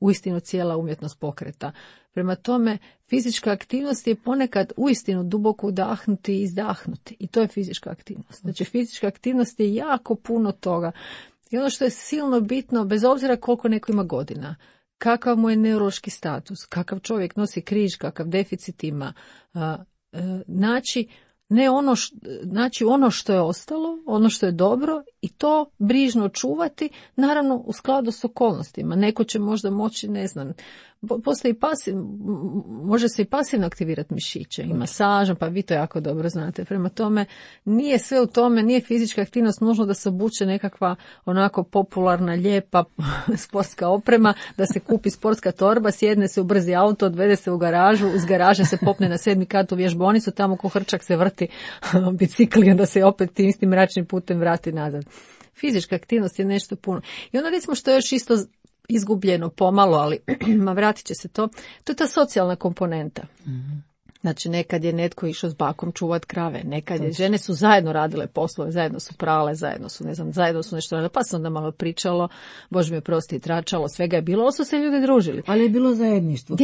uistinu cijela umjetnost pokreta. Prema tome, fizička aktivnost je ponekad uistinu duboko udahnuti i izdahnuti i to je fizička aktivnost. Znači fizička aktivnost je jako puno toga i ono što je silno bitno, bez obzira koliko neko ima godina, kakav mu je neurološki status, kakav čovjek nosi križ, kakav deficit ima, znači ono što je ostalo, ono što je dobro i to brižno čuvati, naravno u skladu s okolnostima. Neko će možda moći, ne znam, može se i pasivno aktivirati mišiće i masažom, pa vi to jako dobro znate. Prema tome, nije sve u tome, nije fizička aktivnost nužno da se obuče nekakva onako popularna, lijepa sportska oprema, da se kupi sportska torba, sjedne se u brzi auto, odvede se u garažu, iz garaže se popne na 7. kat u vježbonicu, tamo ko hrčak se vrti bicikli, onda se opet tim istim mračnim putem vrati nazad. Fizička aktivnost je nešto puno. I onda recimo što je još isto izgubljeno pomalo, ali vratit će se to je ta socijalna komponenta. Znači nekad je netko išao s bakom čuvat krave, nekad je žene su zajedno radile poslove, zajedno su prale, zajedno su nešto radile, pa se onda malo pričalo, Bože mi oprosti, tračalo, svega je bilo, ovo su se ljudi družili. Ali je bilo zajedništvo.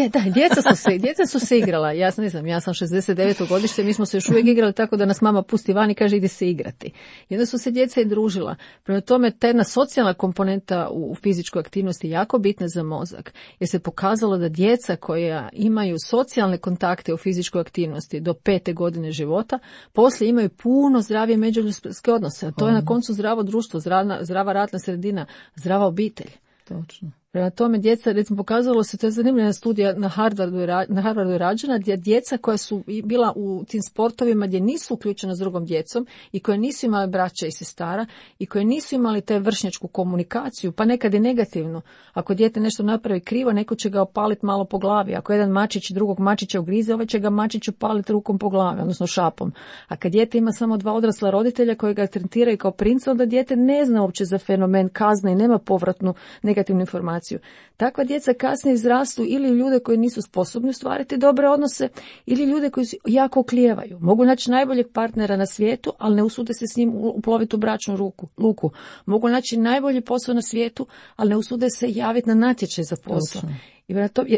Djeca su se igrala, ja sam 69. godište, mi smo se još uvijek igrali tako da nas mama pusti van i kaže ide se igrati. I onda su se djeca i družila. Prema tome, ta jedna socijalna komponenta u fizičkoj aktivnosti je jako bitna za mozak, jer se pokazalo da djeca koja imaju socijalne kontakte u fizičkoj aktivnosti do 5. godine života, poslije imaju puno zdravije međuljudske odnose. To je na koncu zdravo društvo, zdrava radna sredina, zdrava obitelj. Točno. Prema tome djeca, recimo pokazalo se, to je zanimljiva studija na Harvardu je rađena, gdje djeca koja su bila u tim sportovima gdje nisu uključena s drugom djecom i koje nisu imali braća i sestara i koje nisu imali te vršnjačku komunikaciju, pa nekad i negativnu. Ako dijete nešto napravi krivo, neko će ga opaliti malo po glavi. Ako jedan mačić drugog mačića ugrize, ovaj će ga mačić opaliti rukom po glavi, odnosno šapom. A kad dijete ima samo 2 odrasla roditelja koji ga tretiraju kao princa, onda dijete ne zna uopće za fenomen kazne i nema povratnu negativnu informaciju. komunikaciju. Takva djeca kasnije izrastu ili ljude koji nisu sposobni ostvariti dobre odnose ili ljude koji jako oklijevaju. Mogu naći najboljeg partnera na svijetu, ali ne usude se s njim uploviti u bračnu luku. Mogu naći najbolji posao na svijetu, ali ne usude se javiti na natječaj za posao.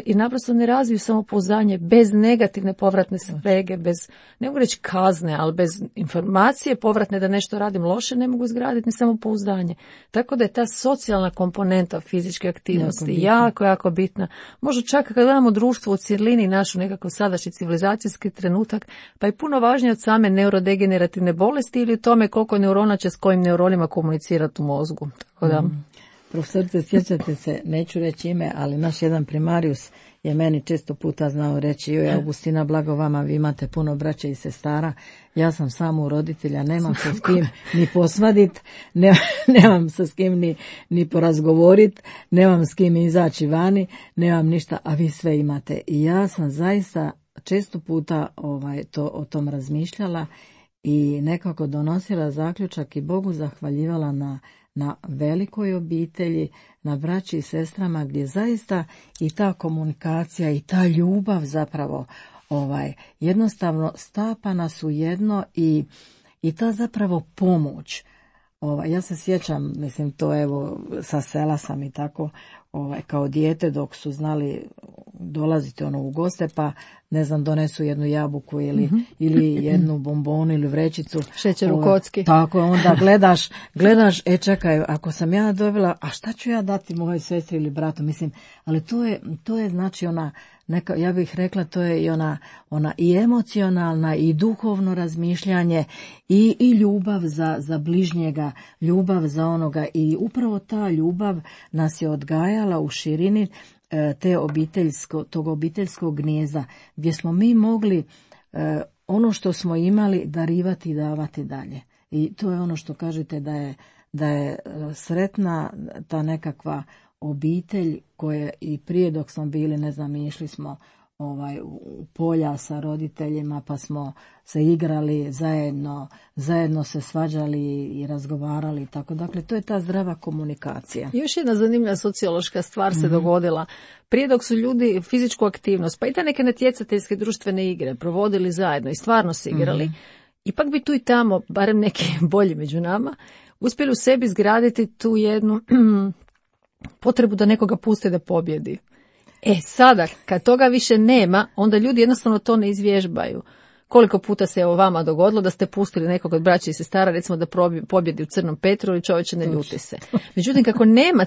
I naprosto ne razviju samopouzdanje bez negativne povratne sprege, bez, ne mogu reći kazne, ali bez informacije povratne da nešto radim loše, ne mogu izgraditi ni samopouzdanje. Tako da je ta socijalna komponenta fizičke aktivnosti jako bitna. Možda čak kad gledamo društvo u cjelini, našu nekako sadašnji civilizacijski trenutak, pa je puno važnije od same neurodegenerativne bolesti ili tome koliko neurona će s kojim neuronima komunicirati u mozgu. Tako da... Profesorice, sjećate se, neću reći ime, ali naš jedan primarius je meni često puta znao reći: joj, Augustina, blago vama, vi imate puno braće i sestara, ja sam samo roditelja, nemam se s kim ni posvadit, nemam se s kim ni porazgovorit, nemam s kim izaći vani, nemam ništa, a vi sve imate. I ja sam zaista često puta o tom razmišljala i nekako donosila zaključak i Bogu zahvaljivala na velikoj obitelji, na braći i sestrama, gdje zaista i ta komunikacija i ta ljubav zapravo jednostavno stapa nas u jedno i ta zapravo pomoć. Ja se sjećam, mislim, to evo sa sela sam i tako kao dijete dok su znali dolaziti u goste, pa ne znam, donesu jednu jabuku ili jednu bombonu ili vrećicu. Šećer u kocki. Tako, onda gledaš, čekaj, ako sam ja dobila, a šta ću ja dati mojoj sestri ili bratu, mislim, ali to je znači ja bih rekla, to je i ona i emocionalna i duhovno razmišljanje i ljubav za bližnjega, ljubav za onoga, i upravo ta ljubav nas je odgajala u širini tog obiteljskog gnijezda, gdje smo mi mogli ono što smo imali darivati i davati dalje. I to je ono što kažete da je sretna ta nekakva obitelj koje i prije dok smo bili, ne znam, išli smo u polja sa roditeljima, pa smo se igrali zajedno se svađali i razgovarali, tako. Dakle, to je ta zdrava komunikacija. Još jedna zanimljiva sociološka stvar se dogodila. Prije dok su ljudi fizičku aktivnost, pa i ta neke natjecateljske društvene igre provodili zajedno i stvarno se igrali, ipak bi tu i tamo, barem neki bolji među nama, uspjeli u sebi izgraditi tu jednu potrebu da nekoga puste da pobjedi. Sada, kad toga više nema, onda ljudi jednostavno to ne izvježbaju. Koliko puta se vama dogodilo da ste pustili nekog od braća i sestara, recimo da pobjedi u Crnom Petru, ili čovječe, ne ljuti se. Međutim, kako nema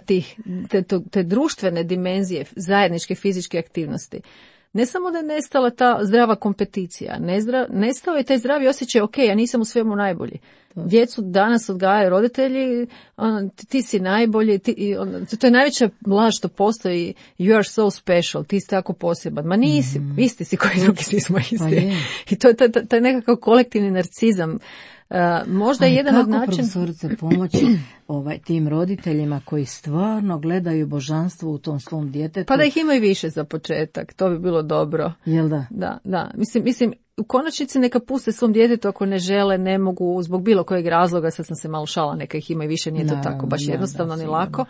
te društvene dimenzije zajedničke fizičke aktivnosti, ne samo da je nestala ta zdrava kompeticija, nestao je taj zdravi osjećaj, ja nisam u svemu najbolji. Djecu danas odgajaju roditelji, ti si najbolji, to je najveća laž što postoji, you are so special, ti si tako poseban. Ma nisi, isti si koji drugi, svi smo isti. Pa i to je taj nekakav kolektivni narcizam. Možda je jedan od načina... Kako, profesorice, pomoći tim roditeljima koji stvarno gledaju božanstvo u tom svom djetetu? Pa da ih imaju više za početak, to bi bilo dobro. Jel da? Da. Mislim, u konačnici neka puste svom djetetu ako ne žele, ne mogu, zbog bilo kojeg razloga, sad sam se malo šala, neka ih ima i više, nije to tako baš jednostavno ni lako,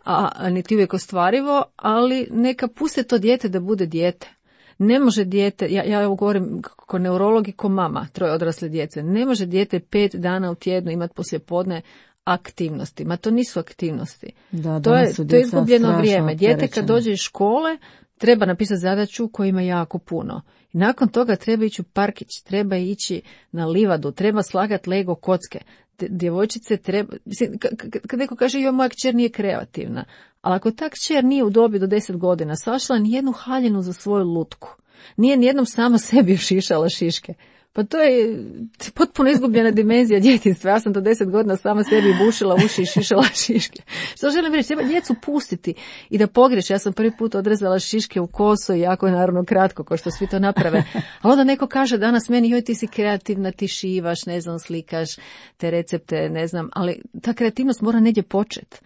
a niti uvijek ostvarivo, ali neka puste to dijete da bude dijete. Ne može dijete, ja ovo govorim kao neurolog i kao mama 3 odrasle djece, ne može dijete 5 dana u tjednu imati poslijepodne aktivnosti. Ma to nisu aktivnosti. To je izgubljeno vrijeme. Dijete kad dođe iz škole treba napisati zadaću koja ima jako puno. I nakon toga treba ići u parkić, treba ići na livadu, treba slagati Lego kocke. Djevojčice treba, kad neko kaže joj, moja kćer nije kreativna, ali ako ta kćer nije u dobi do 10 godina sašla nijednu haljinu za svoju lutku, nije nijednom sama sebi šišala šiške, pa to je potpuno izgubljena dimenzija djetinjstva. Ja sam do 10 godina sama sebi bušila uši i šišala šiške. Što želim reći, treba djecu pustiti i da pogriješe. Ja sam prvi put odrezala šiške u kosu i jako je naravno kratko, kao što svi to naprave. A onda neko kaže danas meni, joj, ti si kreativna, ti šivaš, ne znam, slikaš te recepte, ne znam, ali ta kreativnost mora negdje početi.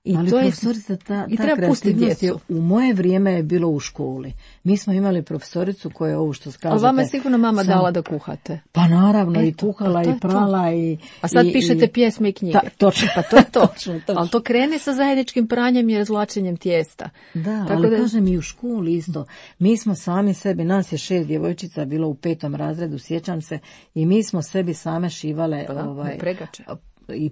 Ali to je, profesorica, ta treba pustiti kreativnost je, djecu. u moje vrijeme je bilo u školi. Mi smo imali profesoricu koja je ovo što kažete. Ali vama je sigurno mama dala da kuhate. Pa naravno, i kuhala, i prala, A sad pišete pjesme i knjige. Točno. Pa to je to. Točno. Ali to krene sa zajedničkim pranjem i razvlačenjem tijesta. Da, tako ali kažem i u školi isto. Mi smo sami sebi, nas je 6 djevojčica bilo u 5. razredu, sjećam se, i mi smo sebi same šivale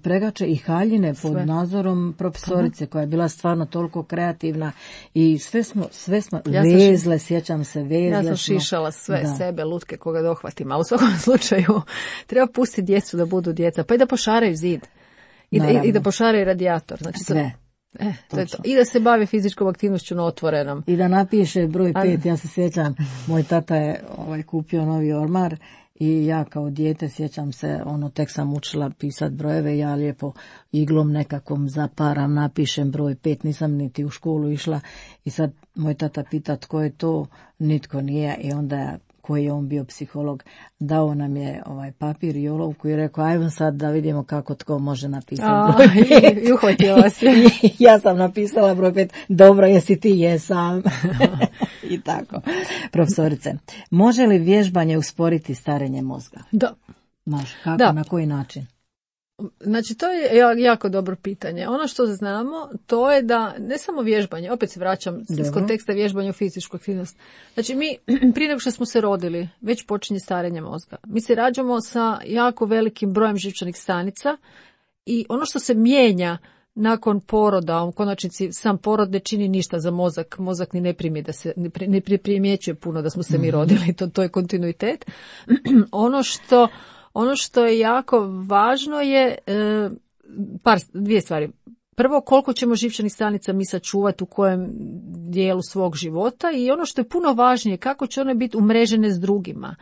pregače i haljine pod nadzorom profesorice koja je bila stvarno toliko kreativna i sve smo vezle, sjećam se, vezle. Ja sam šišala sve sebe, lutke koga dohvatim, ali u svakom slučaju treba pustiti djecu da budu djeca, pa i da pošaraju zid i da pošaraju radijator. Znači, sve. To je to. I da se bavi fizičkom aktivnošću na otvorenom. I da napiše broj 5, ja se sjećam, moj tata je kupio novi ormar i ja kao dijete sjećam se, tek sam učila pisati brojeve, ja lijepo iglom nekakvom zaparam, napišem broj 5, nisam niti u školu išla i sad moj tata pita tko je to, nitko nije i onda koji je on bio psiholog, dao nam je papir i olovku i rekao, ajmo sad da vidimo kako tko može napisati broj 5. I uhvatio vas je. Ja sam napisala broj 5, dobro, jesi ti? Jesam. I tako. Profesorice, može li vježbanje usporiti starenje mozga? Da. Može, kako, na koji način? Znači, to je jako dobro pitanje. Ono što znamo, to je da ne samo vježbanje, opet se vraćam iz konteksta vježbanja u fizičku aktivnost. Znači, mi prije nego što smo se rodili, već počinje starenje mozga. Mi se rađamo sa jako velikim brojem živčanih stanica i ono što se mijenja nakon poroda, u konačnici sam porod ne čini ništa za mozak. Mozak ni ne primjećuje puno da smo se mi rodili, to je kontinuitet. Ono što je jako važno je dvije stvari. Prvo, koliko ćemo živčanih stanica mi sačuvati u kojem dijelu svog života i ono što je puno važnije, kako će one biti umrežene s drugima.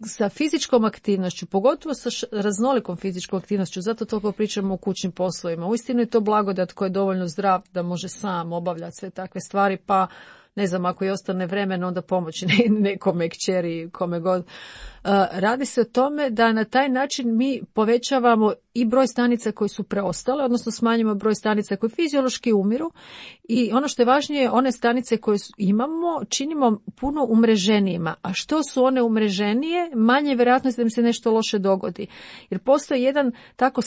Sa fizičkom aktivnošću, pogotovo sa raznolikom fizičkom aktivnošću, zato toliko pričamo o kućnim poslovima. Uistinu je to blagodat koji je dovoljno zdrav da može sam obavljati sve takve stvari, pa ne znam, ako i ostane vremena, onda pomoći nekome, kćeri, kome god. Radi se o tome da na taj način mi povećavamo i broj stanica koji su preostale, odnosno smanjimo broj stanica koji fiziološki umiru i ono što je važnije, one stanice koje imamo činimo puno umreženijima, a što su one umreženije, manje je vjerojatnost da im se nešto loše dogodi. Jer postoji jedan tako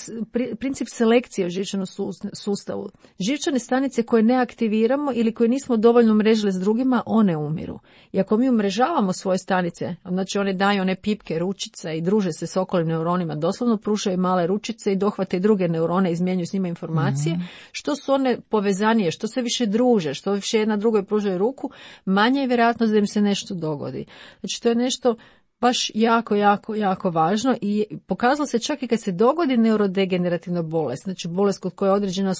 princip selekcije u živčanom sustavu. Živčane stanice koje ne aktiviramo ili koje nismo dovoljno umrežile s drugima, one umiru. I ako mi umrežavamo svoje stanice, znači one daju one pipke, ručice i druže se s okolnim neuronima, doslovno pružaju male ručice i dohvate i druge neurone i izmjenjuju s njima informacije, što su one povezanije, što se više druže, što više jedna drugoj pružaju ruku, manje je vjerojatnost da im se nešto dogodi. Znači to je nešto baš jako važno i pokazalo se čak i kad se dogodi neurodegenerativna bolest, znači bolest kod koje je određena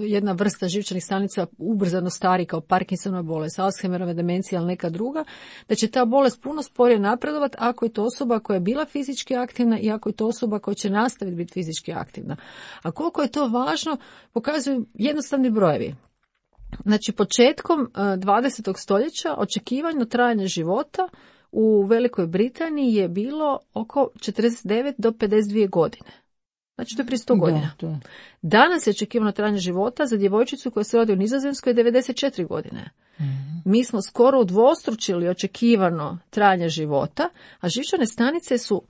jedna vrsta živčanih stanica ubrzano stari kao Parkinsonova bolest, Alzheimerova demencija ili neka druga, da će ta bolest puno sporije napredovati ako je to osoba koja je bila fizički aktivna i ako je to osoba koja će nastaviti biti fizički aktivna. A koliko je to važno pokazuju jednostavni brojevi. Znači početkom 20. stoljeća očekivano trajanje života u Velikoj Britaniji je bilo oko 49 do 52 godine. Znači to je prije 100 godina. Danas je očekivano trajanje života za djevojčicu koja se rodi u Nizozemskoj 94 godine. Mi smo skoro udvostručili očekivano trajanje života, a živčane stanice su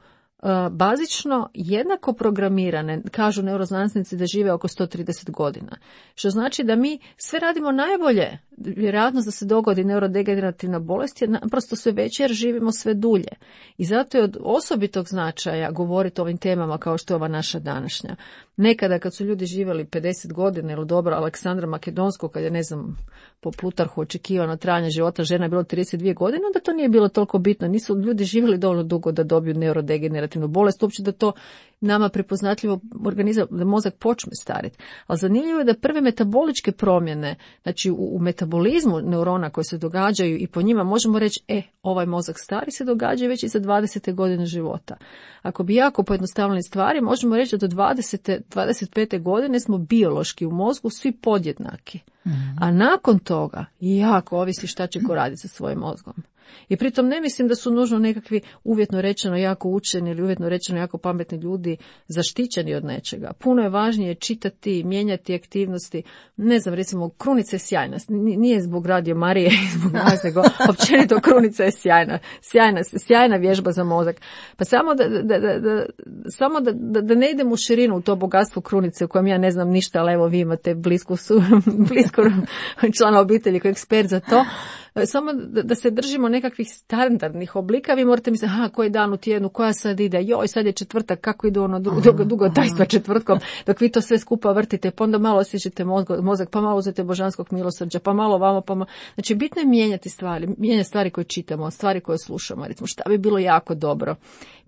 bazično jednako programirane, kažu neuroznanstvenici da žive oko 130 godina. Što znači da mi sve radimo najbolje, vjerojatnost da se dogodi neurodegenerativna bolest je naprosto sve veća jer živimo sve dulje. I zato je od osobitog značaja govoriti o ovim temama kao što je ova naša današnja. Nekada kad su ljudi živjeli 50 godina ili dobro Aleksandra Makedonskog, kad je ne znam po Plutarhu očekivano trajanje života žena je bilo 32 godine, onda to nije bilo toliko bitno. Nisu ljudi živjeli dovoljno dugo da dobiju neurodegenerativnu bolest, uopće da to nama prepoznatljivo organizam, da mozak počne stariti. Ali zanimljivo je da prve metaboličke promjene, znači u metabolizmu neurona koje se događaju i po njima možemo reći, ovaj mozak stari se događa već i za 20. godine života. Ako bi jako pojednostavili stvari, možemo reći da do 25. godine smo biološki u mozgu svi podjednaki. A nakon toga jako ovisi šta će ko raditi sa svojim mozgom. I pritom ne mislim da su nužno nekakvi uvjetno rečeno jako učeni ili uvjetno rečeno jako pametni ljudi zaštićeni od nečega. Puno je važnije čitati, mijenjati aktivnosti. Ne znam, recimo, Krunica je sjajna. Nije zbog Radio Marije, zbog nas, nego općenito Krunica je sjajna vježba za mozak. Pa samo da ne idem u širinu u to bogatstvo Krunice u kojem ja ne znam ništa, ali evo vi imate blisko člana obitelji koji je ekspert za to. Samo da se držimo nekakvih standardnih oblika, vi morate misliti, koji dan u tjednu, koja sad ide, joj, sad je četvrtak, kako ide ono dugo tajstva četvrtkom, dok vi to sve skupa vrtite, pa onda malo osjećate mozak, pa malo uzete božanskog milosrđa, pa malo vamo, pa malo. Znači, bitno je mijenjati stvari koje čitamo, stvari koje slušamo. Recimo, šta bi bilo jako dobro?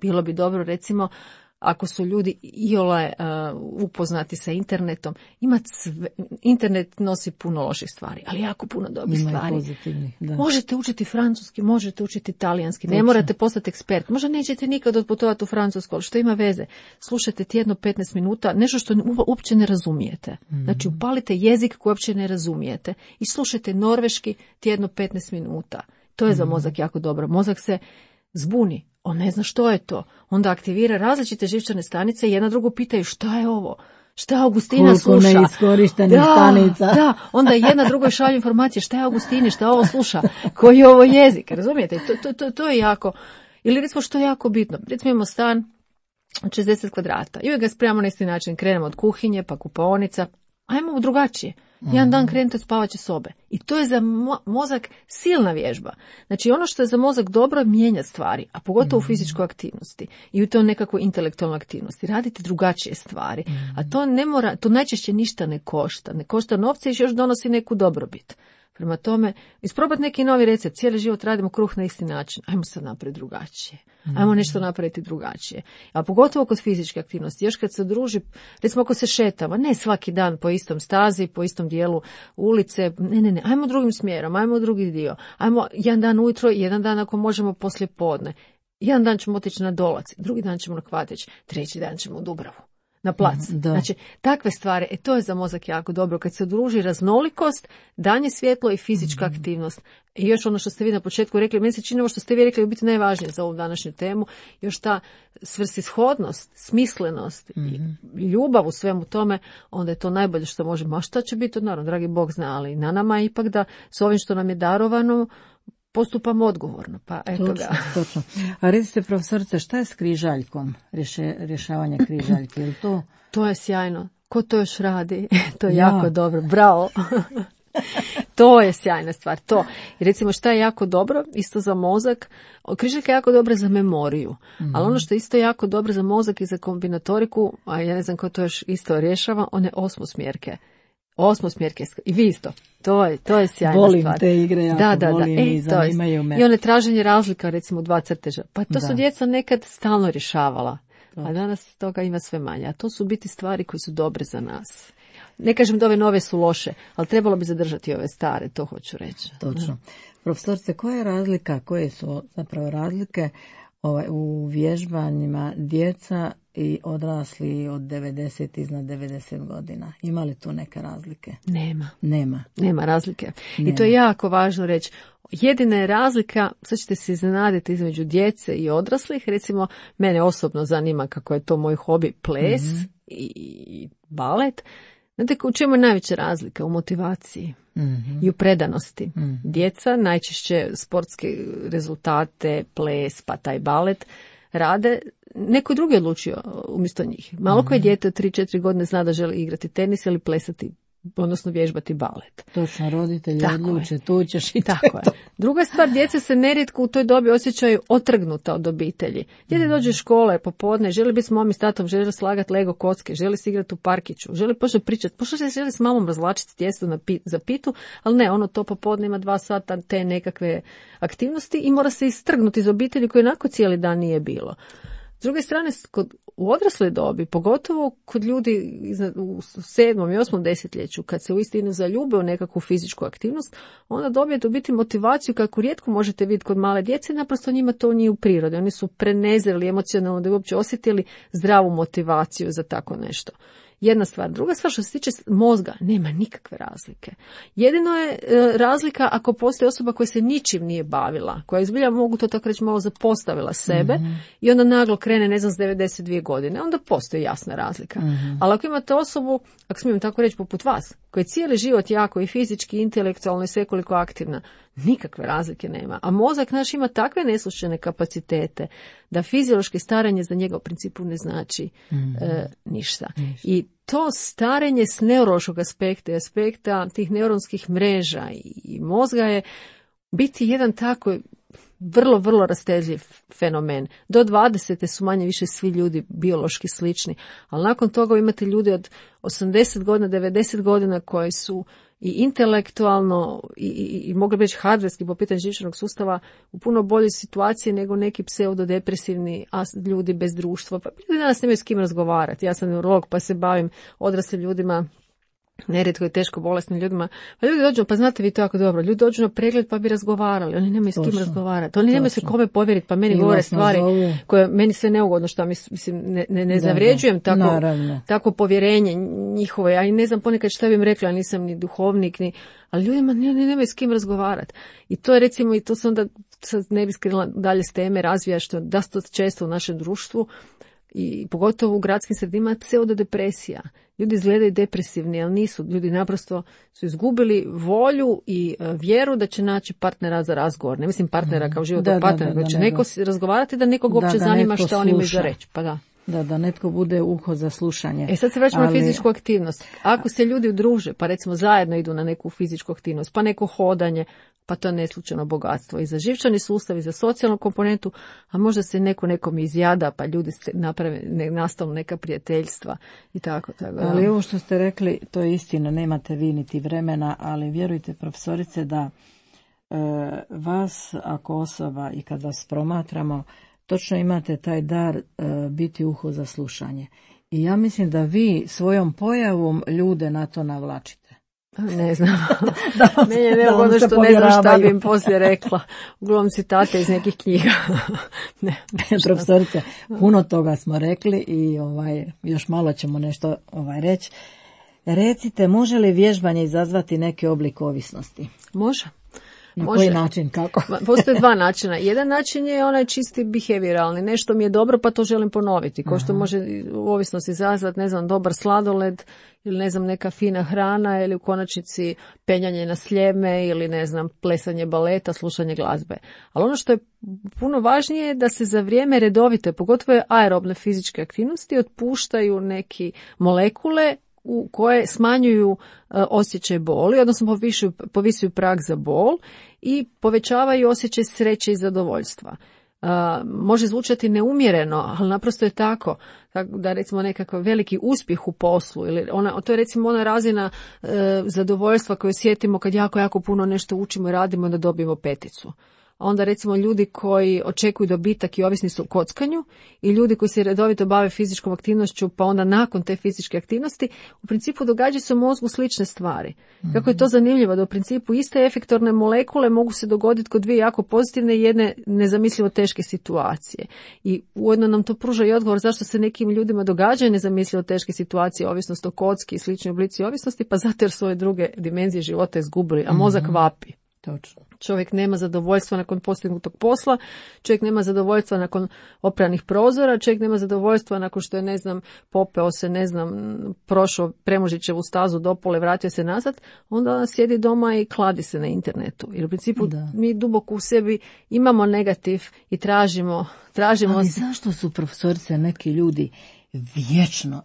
Bilo bi dobro, recimo, ako su ljudi iole upoznati sa internetom, internet nosi puno loših stvari, ali jako puno dobrih stvari. Da. Možete učiti francuski, možete učiti talijanski, ne morate postati ekspert, možda nećete nikad otputovati u Francusku, ali što ima veze? Slušajte tjedno 15 minuta, nešto što uopće ne razumijete. Znači, upalite jezik koji uopće ne razumijete i slušajte norveški tjedno 15 minuta. To je za mozak jako dobro. Mozak se zbuni. On ne zna što je to. Onda aktivira različite živčane stanice i jedna drugu pitaju šta je ovo? Šta Augustina sluša? Koliko neiskorištenih stanica. Da, onda jedna drugoj šalju informacije šta je Augustini, šta ovo sluša, koji je ovo jezik, razumijete? To je jako, ili recimo što je jako bitno. Recimo imamo stan od 60 kvadrata i uvijek ga spremamo na isti način, krenemo od kuhinje, pa kupaonica, ajmo drugačije. Jedan dan krenete od spavaće sobe. I to je za mozak silna vježba. Znači, ono što je za mozak dobro je mijenjati stvari, a pogotovo u fizičkoj aktivnosti i u toj nekakvoj intelektualnoj aktivnosti. Radite drugačije stvari, a to najčešće ništa ne košta. Ne košta novce i još donosi neku dobrobit. Prema tome, isprobati neki novi recept. Cijeli život radimo kruh na isti način. Ajmo sad napraviti drugačije. Ajmo nešto napraviti drugačije. A pogotovo kod fizičke aktivnosti. Još kad se druži, recimo ako se šetamo, ne svaki dan po istom stazi, po istom dijelu ulice. Ne. Ajmo drugim smjerom, ajmo drugi dio. Ajmo jedan dan ujutro, jedan dan ako možemo poslije podne. Jedan dan ćemo otići na Dolac, drugi dan ćemo na Kvatić, treći dan ćemo u Dubravu. Na plac. Znači, takve stvari, to je za mozak jako dobro. Kad se druži raznolikost, danje svjetlo i fizička aktivnost. I još ono što ste vi na početku rekli, meni se čini ovo što ste vi rekli biti najvažnije za ovu današnju temu, još ta svrsishodnost, smislenost i ljubav u svemu tome, onda je to najbolje što možemo. A šta će biti, naravno, dragi Bog zna, ali na nama je ipak da s ovim što nam je darovano, postupamo odgovorno, pa eto ga. Točno. A recite, profesorice, šta je s križaljkom, rješavanje križaljke? Je li to? To je sjajno. Ko to još radi? To je jako dobro. Bravo. To je sjajna stvar. To. I recimo šta je jako dobro, isto za mozak, križaljka je jako dobra za memoriju, ali ono što je isto jako dobro za mozak i za kombinatoriku, a ja ne znam ko to još isto rješava, one osmosmjerke. I vi isto. To je sjajna volim stvar. Volim te igre, jako volim i zanimaju me. I one traženje razlika, recimo 2 crteža. Pa to su djeca nekad stalno rješavala. A danas toga ima sve manje. A to su biti stvari koje su dobre za nas. Ne kažem da ove nove su loše, ali trebalo bi zadržati ove stare, to hoću reći. Točno. Profesorice, koje su zapravo razlike u vježbanjima djeca i odrasli od 90 iznad 90 godina? Ima li tu neke razlike? Nema razlike. I to je jako važno reći. Jedina je razlika, sad ćete se iznenaditi, između djece i odraslih. Recimo, mene osobno zanima kako je to moj hobi, ples i balet. Znate, u čemu je najveća razlika? U motivaciji i u predanosti. Djeca najčešće sportske rezultate, ples, pa taj balet rade, neko drugi odlučio umjesto njih. Malo koje dijete od 3-4 godine zna da želi igrati tenis ili plesati, odnosno vježbati balet. Točno, roditelji odluče, tu ćeš i tako je. Druga stvar, djeca se nerijetko u toj dobi osjećaju otrgnuta od obitelji. Dijete dođe iz škole popodne, želi biti s momom i s tatom, želi slagati Lego kocke, želi se igrati u parkiću, želi početi pričati, želi s mamom razvlačiti tijesto za pitu, ali ne, ono to popodne ima 2 sata te nekakve aktivnosti i mora se istrgnuti iz obitelji koje onako cijeli dan nije bilo. S druge strane, u odrasloj dobi, pogotovo kod ljudi u 7. i 8. desetljeću, kad se uistinu zaljube u nekakvu fizičku aktivnost, onda dobijete u biti motivaciju kako rijetko možete vidjeti kod male djece, naprosto njima to nije u prirodi. Oni su prenezreli emocionalno da bi uopće osjetili zdravu motivaciju za tako nešto. jedna stvar. Druga stvar, što se tiče mozga, nema nikakve razlike. Jedino je razlika ako postoji osoba koja se ničim nije bavila, koja izbilja, mogu to tako reći, malo zapostavila sebe i onda naglo krene, ne znam, s 92 godine, onda postoji jasna razlika. Ali ako imate osobu, ako smijem tako reći, poput vas, koja je cijeli život jako i fizički, i intelektualno i svekoliko aktivna, nikakve razlike nema. A mozak naš ima takve neslučajne kapacitete da fiziološki starenje za njega u principu ne znači ništa. I to starenje s neurološkog aspekta i aspekta tih neuronskih mreža i mozga je biti jedan tako vrlo, vrlo rastezljiv fenomen. Do 20. su manje više svi ljudi biološki slični, ali nakon toga imate ljude od 80 godina, 90 godina koji su i intelektualno i mogli bi reći hardverski po pitanju živčanog sustava u puno boljoj situaciji nego neki pseudodepresivni ljudi bez društva. Pa ljudi danas nemaju s kim razgovarati. Ja sam neurolog pa se bavim odraslim ljudima, nerijetko i teško bolesnim ljudima. Pa ljudi dođu, pa znate vi to jako dobro, ljudi dođu na pregled pa bi razgovarali, oni nemaju s kim razgovarati, oni nemaju se kome povjeriti, pa meni govore stvari koje meni sve neugodno, što mislim ne zavređujem tako povjerenje njihovo, ja i ne znam ponekad šta bi im rekla, ja nisam ni duhovnik, ali ljudima nemaju s kim razgovarati. I to je recimo, i to se onda sad ne bi skrenula dalje s teme, razvija što da to često u našem društvu, i pogotovo u gradskim sredinama, pseudodepresija. Ljudi izgledaju depresivni, ali nisu. Ljudi naprosto su izgubili volju i vjeru da će naći partnera za razgovor. Ne mislim partnera kao životnog partnera, da će neko razgovarati, da nekog uopće zanima šta oni imaju za reći. Pa da. Da netko bude uho za slušanje. Sad se vraćamo na fizičku aktivnost. Ako se ljudi udruže, pa recimo zajedno idu na neku fizičku aktivnost, pa neko hodanje, pa to je neslučajno bogatstvo i za živčani sustav i za socijalnu komponentu, a možda se nekom izjada, pa ljudi naprave, nastanu neka prijateljstva i tako. Ali ovo što ste rekli, to je istina, nemate vi niti vremena, ali vjerujte profesorice da vas ako osoba i kad vas promatramo, točno imate taj dar biti uho za slušanje. I ja mislim da vi svojom pojavom ljude na to navlačite. Ne znam. Meni je neugodno što ne znam šta bi im poslije rekla. Uglavnom citate iz nekih knjiga. Profesorice, puno toga smo rekli i još malo ćemo nešto reći. Recite, može li vježbanje izazvati neki oblik ovisnosti? Može. Na koji način, kako? Postoje dva načina. Jedan način je onaj čisti behavioralni. Nešto mi je dobro pa to želim ponoviti. Ko što može u ovisnosti izazvati, ne znam, dobar sladoled ili ne znam, neka fina hrana ili u konačnici penjanje na sljeme ili ne znam, plesanje baleta, slušanje glazbe. Ali ono što je puno važnije je da se za vrijeme redovite, pogotovo aerobne fizičke aktivnosti, otpuštaju neki molekule u koje smanjuju osjećaj boli, odnosno povisuju prag za bol i povećavaju osjećaj sreće i zadovoljstva. Može zvučati neumjereno, ali naprosto je tako da recimo nekakav veliki uspjeh u poslu ili to je recimo ona razina zadovoljstva koju osjetimo kad jako puno nešto učimo i radimo da dobijemo peticu. Onda recimo ljudi koji očekuju dobitak i ovisni su o kockanju i ljudi koji se redovito bave fizičkom aktivnošću pa onda nakon te fizičke aktivnosti u principu događaju se u mozgu slične stvari. Kako je to zanimljivo da u principu iste efektorne molekule mogu se dogoditi kod dvije jako pozitivne i jedne nezamislivo teške situacije. I ujedno nam to pruža i odgovor zašto se nekim ljudima događaju nezamislivo teške situacije, ovisnost o kocki i slični oblici ovisnosti, pa zato jer su ove druge dimenzije života izgubili, a mozak vapi. Točno. Čovjek nema zadovoljstva nakon postignutog posla, čovjek nema zadovoljstva nakon opranih prozora, čovjek nema zadovoljstva nakon što je, ne znam, popeo se, ne znam, prošao Premužićevu stazu dopole, vratio se nazad, onda sjedi doma i kladi se na internetu. Jer u principu mi duboko u sebi imamo negativ i tražimo... Ali zašto su, profesorice, neki ljudi vječno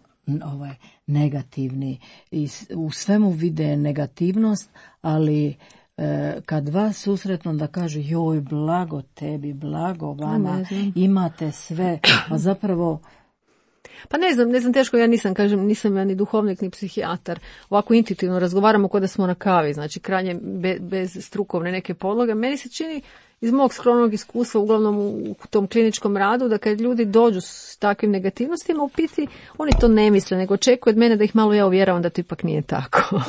negativni i u svemu vide negativnost, ali kad vas susretnu da kažu joj, blago tebi, blago vama, imate sve, a zapravo... Pa ne znam, teško, ja nisam ja ni duhovnik, ni psihijatar. Ovako intuitivno razgovaramo kao da smo na kavi, znači krajnje bez strukovne neke podloge. Meni se čini, iz mog skromnog iskustva, uglavnom u tom kliničkom radu, da kad ljudi dođu s takvim negativnostima, u biti oni to ne misle, nego očekuju od mene da ih malo ja uvjeravam da to ipak nije tako.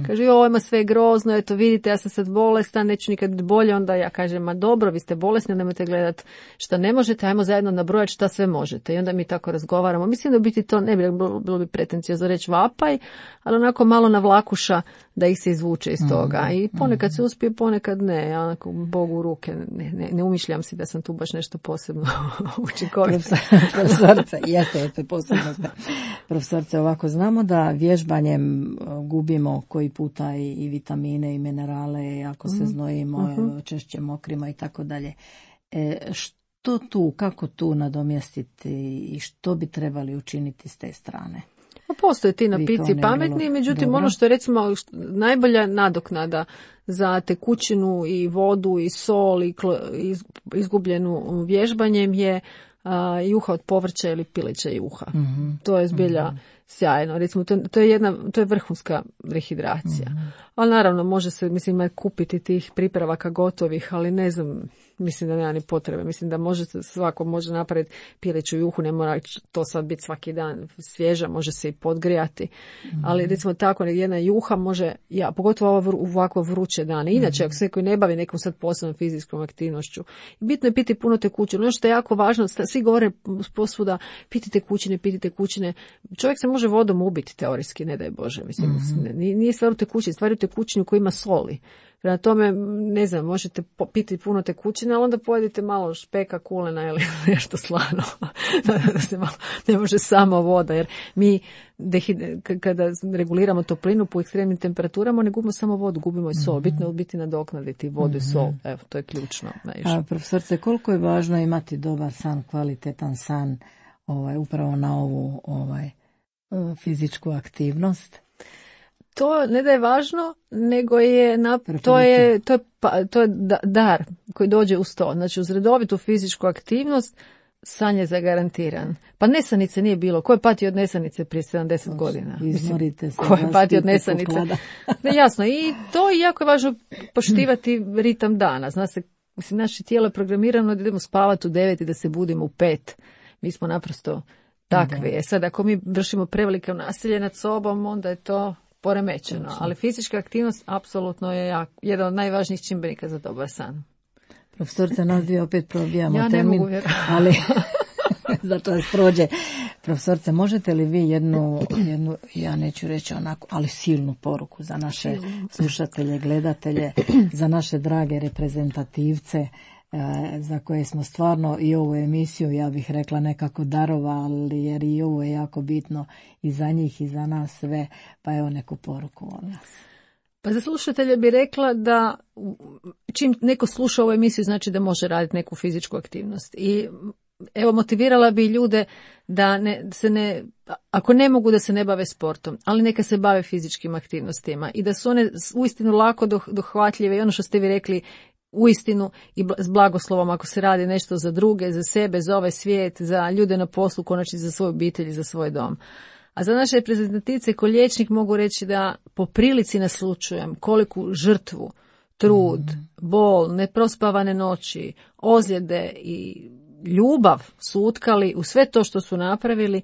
Kaže, ovo ima sve grozno, eto vidite, ja sam sad bolestan, neću nikad biti bolje, onda ja kažem, ma dobro, vi ste bolesni, nemojte gledati šta ne možete, ajmo zajedno nabrojati šta sve možete. I onda mi tako razgovaramo. Mislim da u biti to ne bi bilo bi pretenciozno reći vapaj, ali onako malo navlakuša da ih se izvuče iz toga. I ponekad se uspije, ponekad ne. Ja onako Bogu u ruke ne umišljam si da sam tu baš nešto posebno učinkovita. Profesorice, jeste posebno ste. Profesorice, ovako znamo da vježbanjem gubimo koji puta i vitamine i minerale, ako se znojimo, češće mokrima i tako dalje. Što tu, kako tu nadomjestiti i što bi trebali učiniti s te strane? Postoje ti napici pametni, međutim ono što je recimo najbolja nadoknada za tekućinu i vodu i sol i izgubljenu vježbanjem je juha od povrća ili pileća juha. To je zbilja sjajno. Recimo, to je vrhunska rehidracija. Ali naravno može se, mislim, kupiti tih pripravaka gotovih, ali ne znam, mislim da nema ni potrebe. Mislim da svako može napraviti pileću juhu, ne mora to sad biti svaki dan svježa, može se i podgrijati. Ali recimo tako jedna juha može, pogotovo u ovako vruće dane. Inače, ako se koji ne bavi nekom sad posebnom fizičkom aktivnošću, bitno je piti puno tekućine. Ono što je jako važno, svi govore posvuda, piti tekućine. Čovjek se može vodom ubiti teorijski, ne daj Bože. Mislim, nije stvar u tekućini, stvar u tekućini koji ima soli. Prema tome, ne znam, možete piti puno tekućine, ali onda pojedite malo špeka, kulena ili nešto slano. Da se malo, ne može samo voda, jer mi kada reguliramo toplinu po ekstremnim temperaturama, ne gubimo samo vodu, gubimo i sol. Bitno je biti nadoknaditi vodu i sol. Evo, to je ključno. Profesorce, koliko je važno imati dobar san, kvalitetan san, upravo na ovu fizičku aktivnost? To ne da je važno, nego je to je dar koji dođe uz to. Znači, uz redovitu fizičku aktivnost san je zagarantiran. Pa nesanice nije bilo. Ko je patio od nesanice prije 70 godina? Izmorite se. Ko je patio od nesanice? Jasno. I to je jako važno poštivati ritam dana. Zna se, mislim, naše tijelo je programirano da idemo spavati u 9 i da se budimo u 5. Mi smo naprosto takvi. Sad, ako mi vršimo prevelike nasilje nad sobom, onda je to poremećeno, ali fizička aktivnost apsolutno je jedan od najvažnijih čimbenika za dobar san. Profesorica, nas dvije opet probijamo termin. Ja ne mogu vjerovati. Ali zato vas prođe. Profesorice, možete li vi jednu, ja neću reći onako, ali silnu poruku za naše slušatelje, gledatelje, za naše drage reprezentativce, za koje smo stvarno i ovu emisiju, ja bih rekla, nekako darovali, jer i ovo je jako bitno i za njih i za nas sve, pa evo neku poruku od nas. Pa za slušatelje bi rekla da čim neko sluša ovu emisiju, znači da može raditi neku fizičku aktivnost. I evo, motivirala bi ljude da ako ne mogu da se ne bave sportom, ali neka se bave fizičkim aktivnostima i da su one uistinu lako dohvatljive i ono što ste vi rekli, uistinu i s blagoslovom ako se radi nešto za druge, za sebe, za ovaj svijet, za ljude na poslu, konačno za svoju obitelj i za svoj dom. A za naše reprezentativce ko liječnik mogu reći da po prilici naslučujem koliku žrtvu, trud, bol, neprospavane noći, ozljede i ljubav su utkali u sve to što su napravili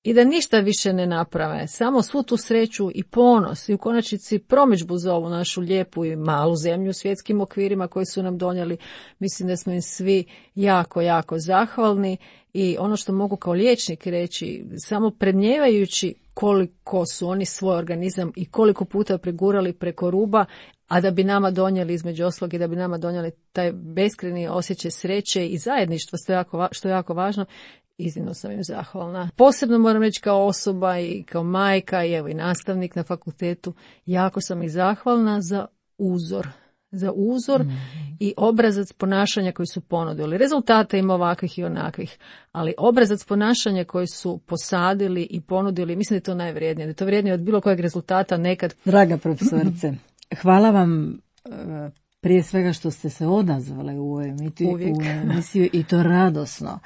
i da ništa više ne naprave, samo svu tu sreću i ponos i u konačnici promidžbu za ovu našu lijepu i malu zemlju u svjetskim okvirima koji su nam donijeli. Mislim da smo im svi jako, jako zahvalni i ono što mogu kao liječnik reći, samo prednjevajući koliko su oni svoj organizam i koliko puta pregurali preko ruba, a da bi nama donijeli između ostalog i da bi nama donijeli taj beskrajni osjećaj sreće i zajedništva, što je jako važno. Iznimno sam im zahvalna. Posebno moram reći kao osoba i kao majka i evo i nastavnik na fakultetu, jako sam i zahvalna za uzor i obrazac ponašanja koji su ponudili. Rezultate ima ovakvih i onakvih, ali obrazac ponašanja koji su posadili i ponudili, mislim da je to najvrijednije. Da je to vrijednije od bilo kojeg rezultata nekad. Draga profesorice, hvala vam prije svega što ste se odazvali u ovu emisiju i to radosno.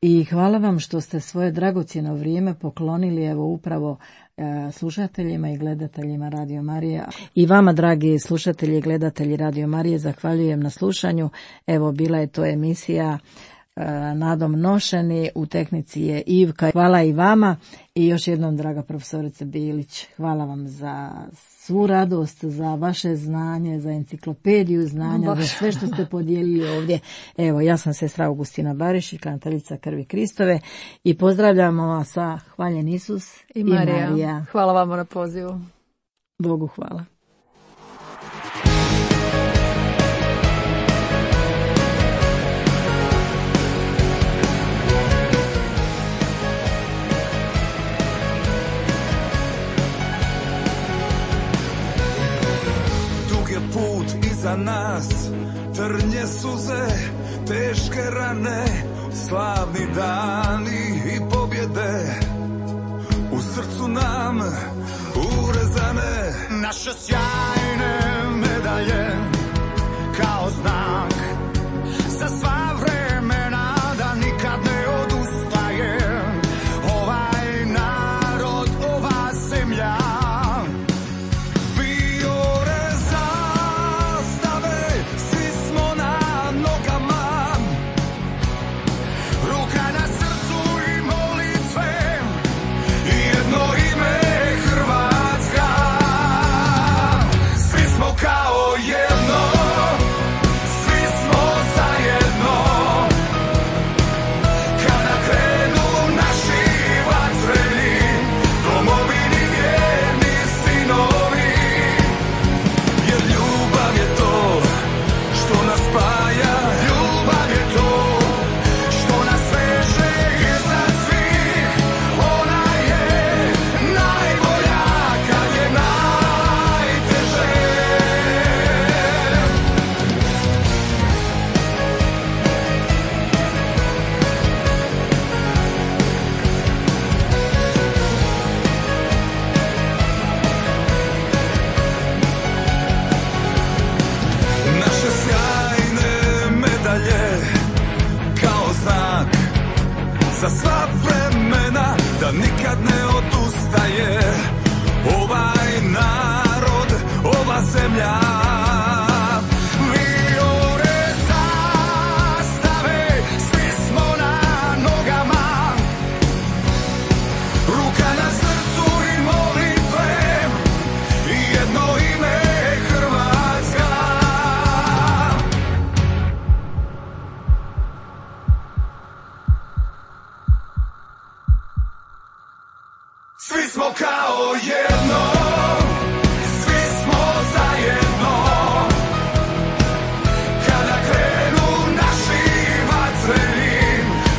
I hvala vam što ste svoje dragocjeno vrijeme poklonili evo upravo slušateljima i gledateljima Radio Marije. I vama, dragi slušatelji i gledatelji Radio Marije, zahvaljujem na slušanju. Evo, bila je to emisija Nadom Nošeni, u tehnici je Ivka. Hvala i vama i još jednom, draga profesorice Bilić, hvala vam za svu radost, za vaše znanje, za enciklopediju znanja, za sve što ste podijelili ovdje. Evo, ja sam sestra Augustina Barišić, kanateljica Krvi Kristove i pozdravljamo vas sa Hvaljen Isus i Marija. Hvala vam na pozivu. Bogu hvala. Put iza nas, trnje suze, teške rane, slavni dani i pobjede, u srcu nam urezane naše sjajne medalje, kao znak za sva vremena, da nikad ne odustaje ovaj narod, ova zemlja. Za sva vremena, da nikad ne odustaje ovaj narod, ova zemlja. Vijore zastave, svi smo na nogama, ruka na srcu i molitve, jedno ime Hrvatska. Svi smo kao jedno, svi smo zajedno, kada krenu naši vatreni,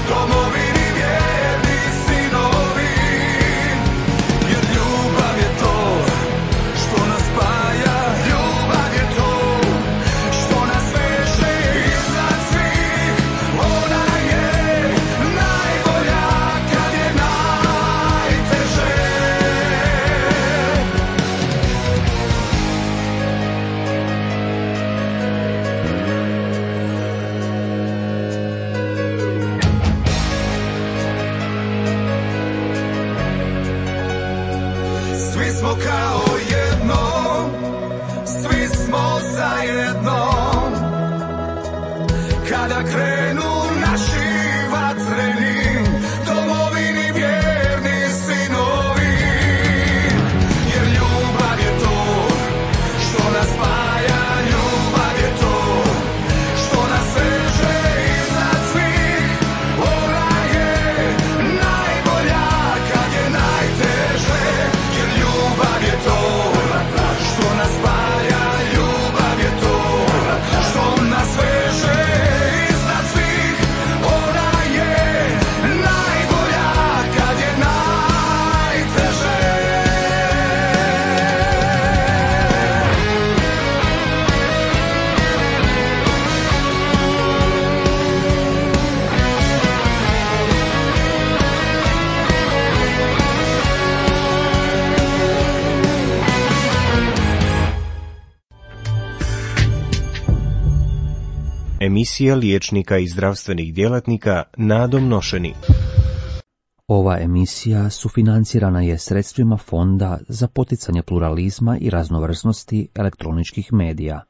domovini vjerni sinovi, jer ljubav je to što nas spaja, ljubav je to što nas veže iznad svih, ona je najbolja kad je najteže. Svi smo kao jedno, svi smo zajedno, kada krenu naši vatreni, domovini vjerni sinovi, jer ljubav je to što nas spaja, ljubav je to što nas veže iznad svih, ona je najbolja kad je najteže, jer ljubav je to što nas spaja, ljubav je to što nas veže iznad svih, Emisija liječnika i zdravstvenih djelatnika Nadom Nošeni. Ova emisija sufinancirana je sredstvima Fonda za poticanje pluralizma i raznovrsnosti elektroničkih medija.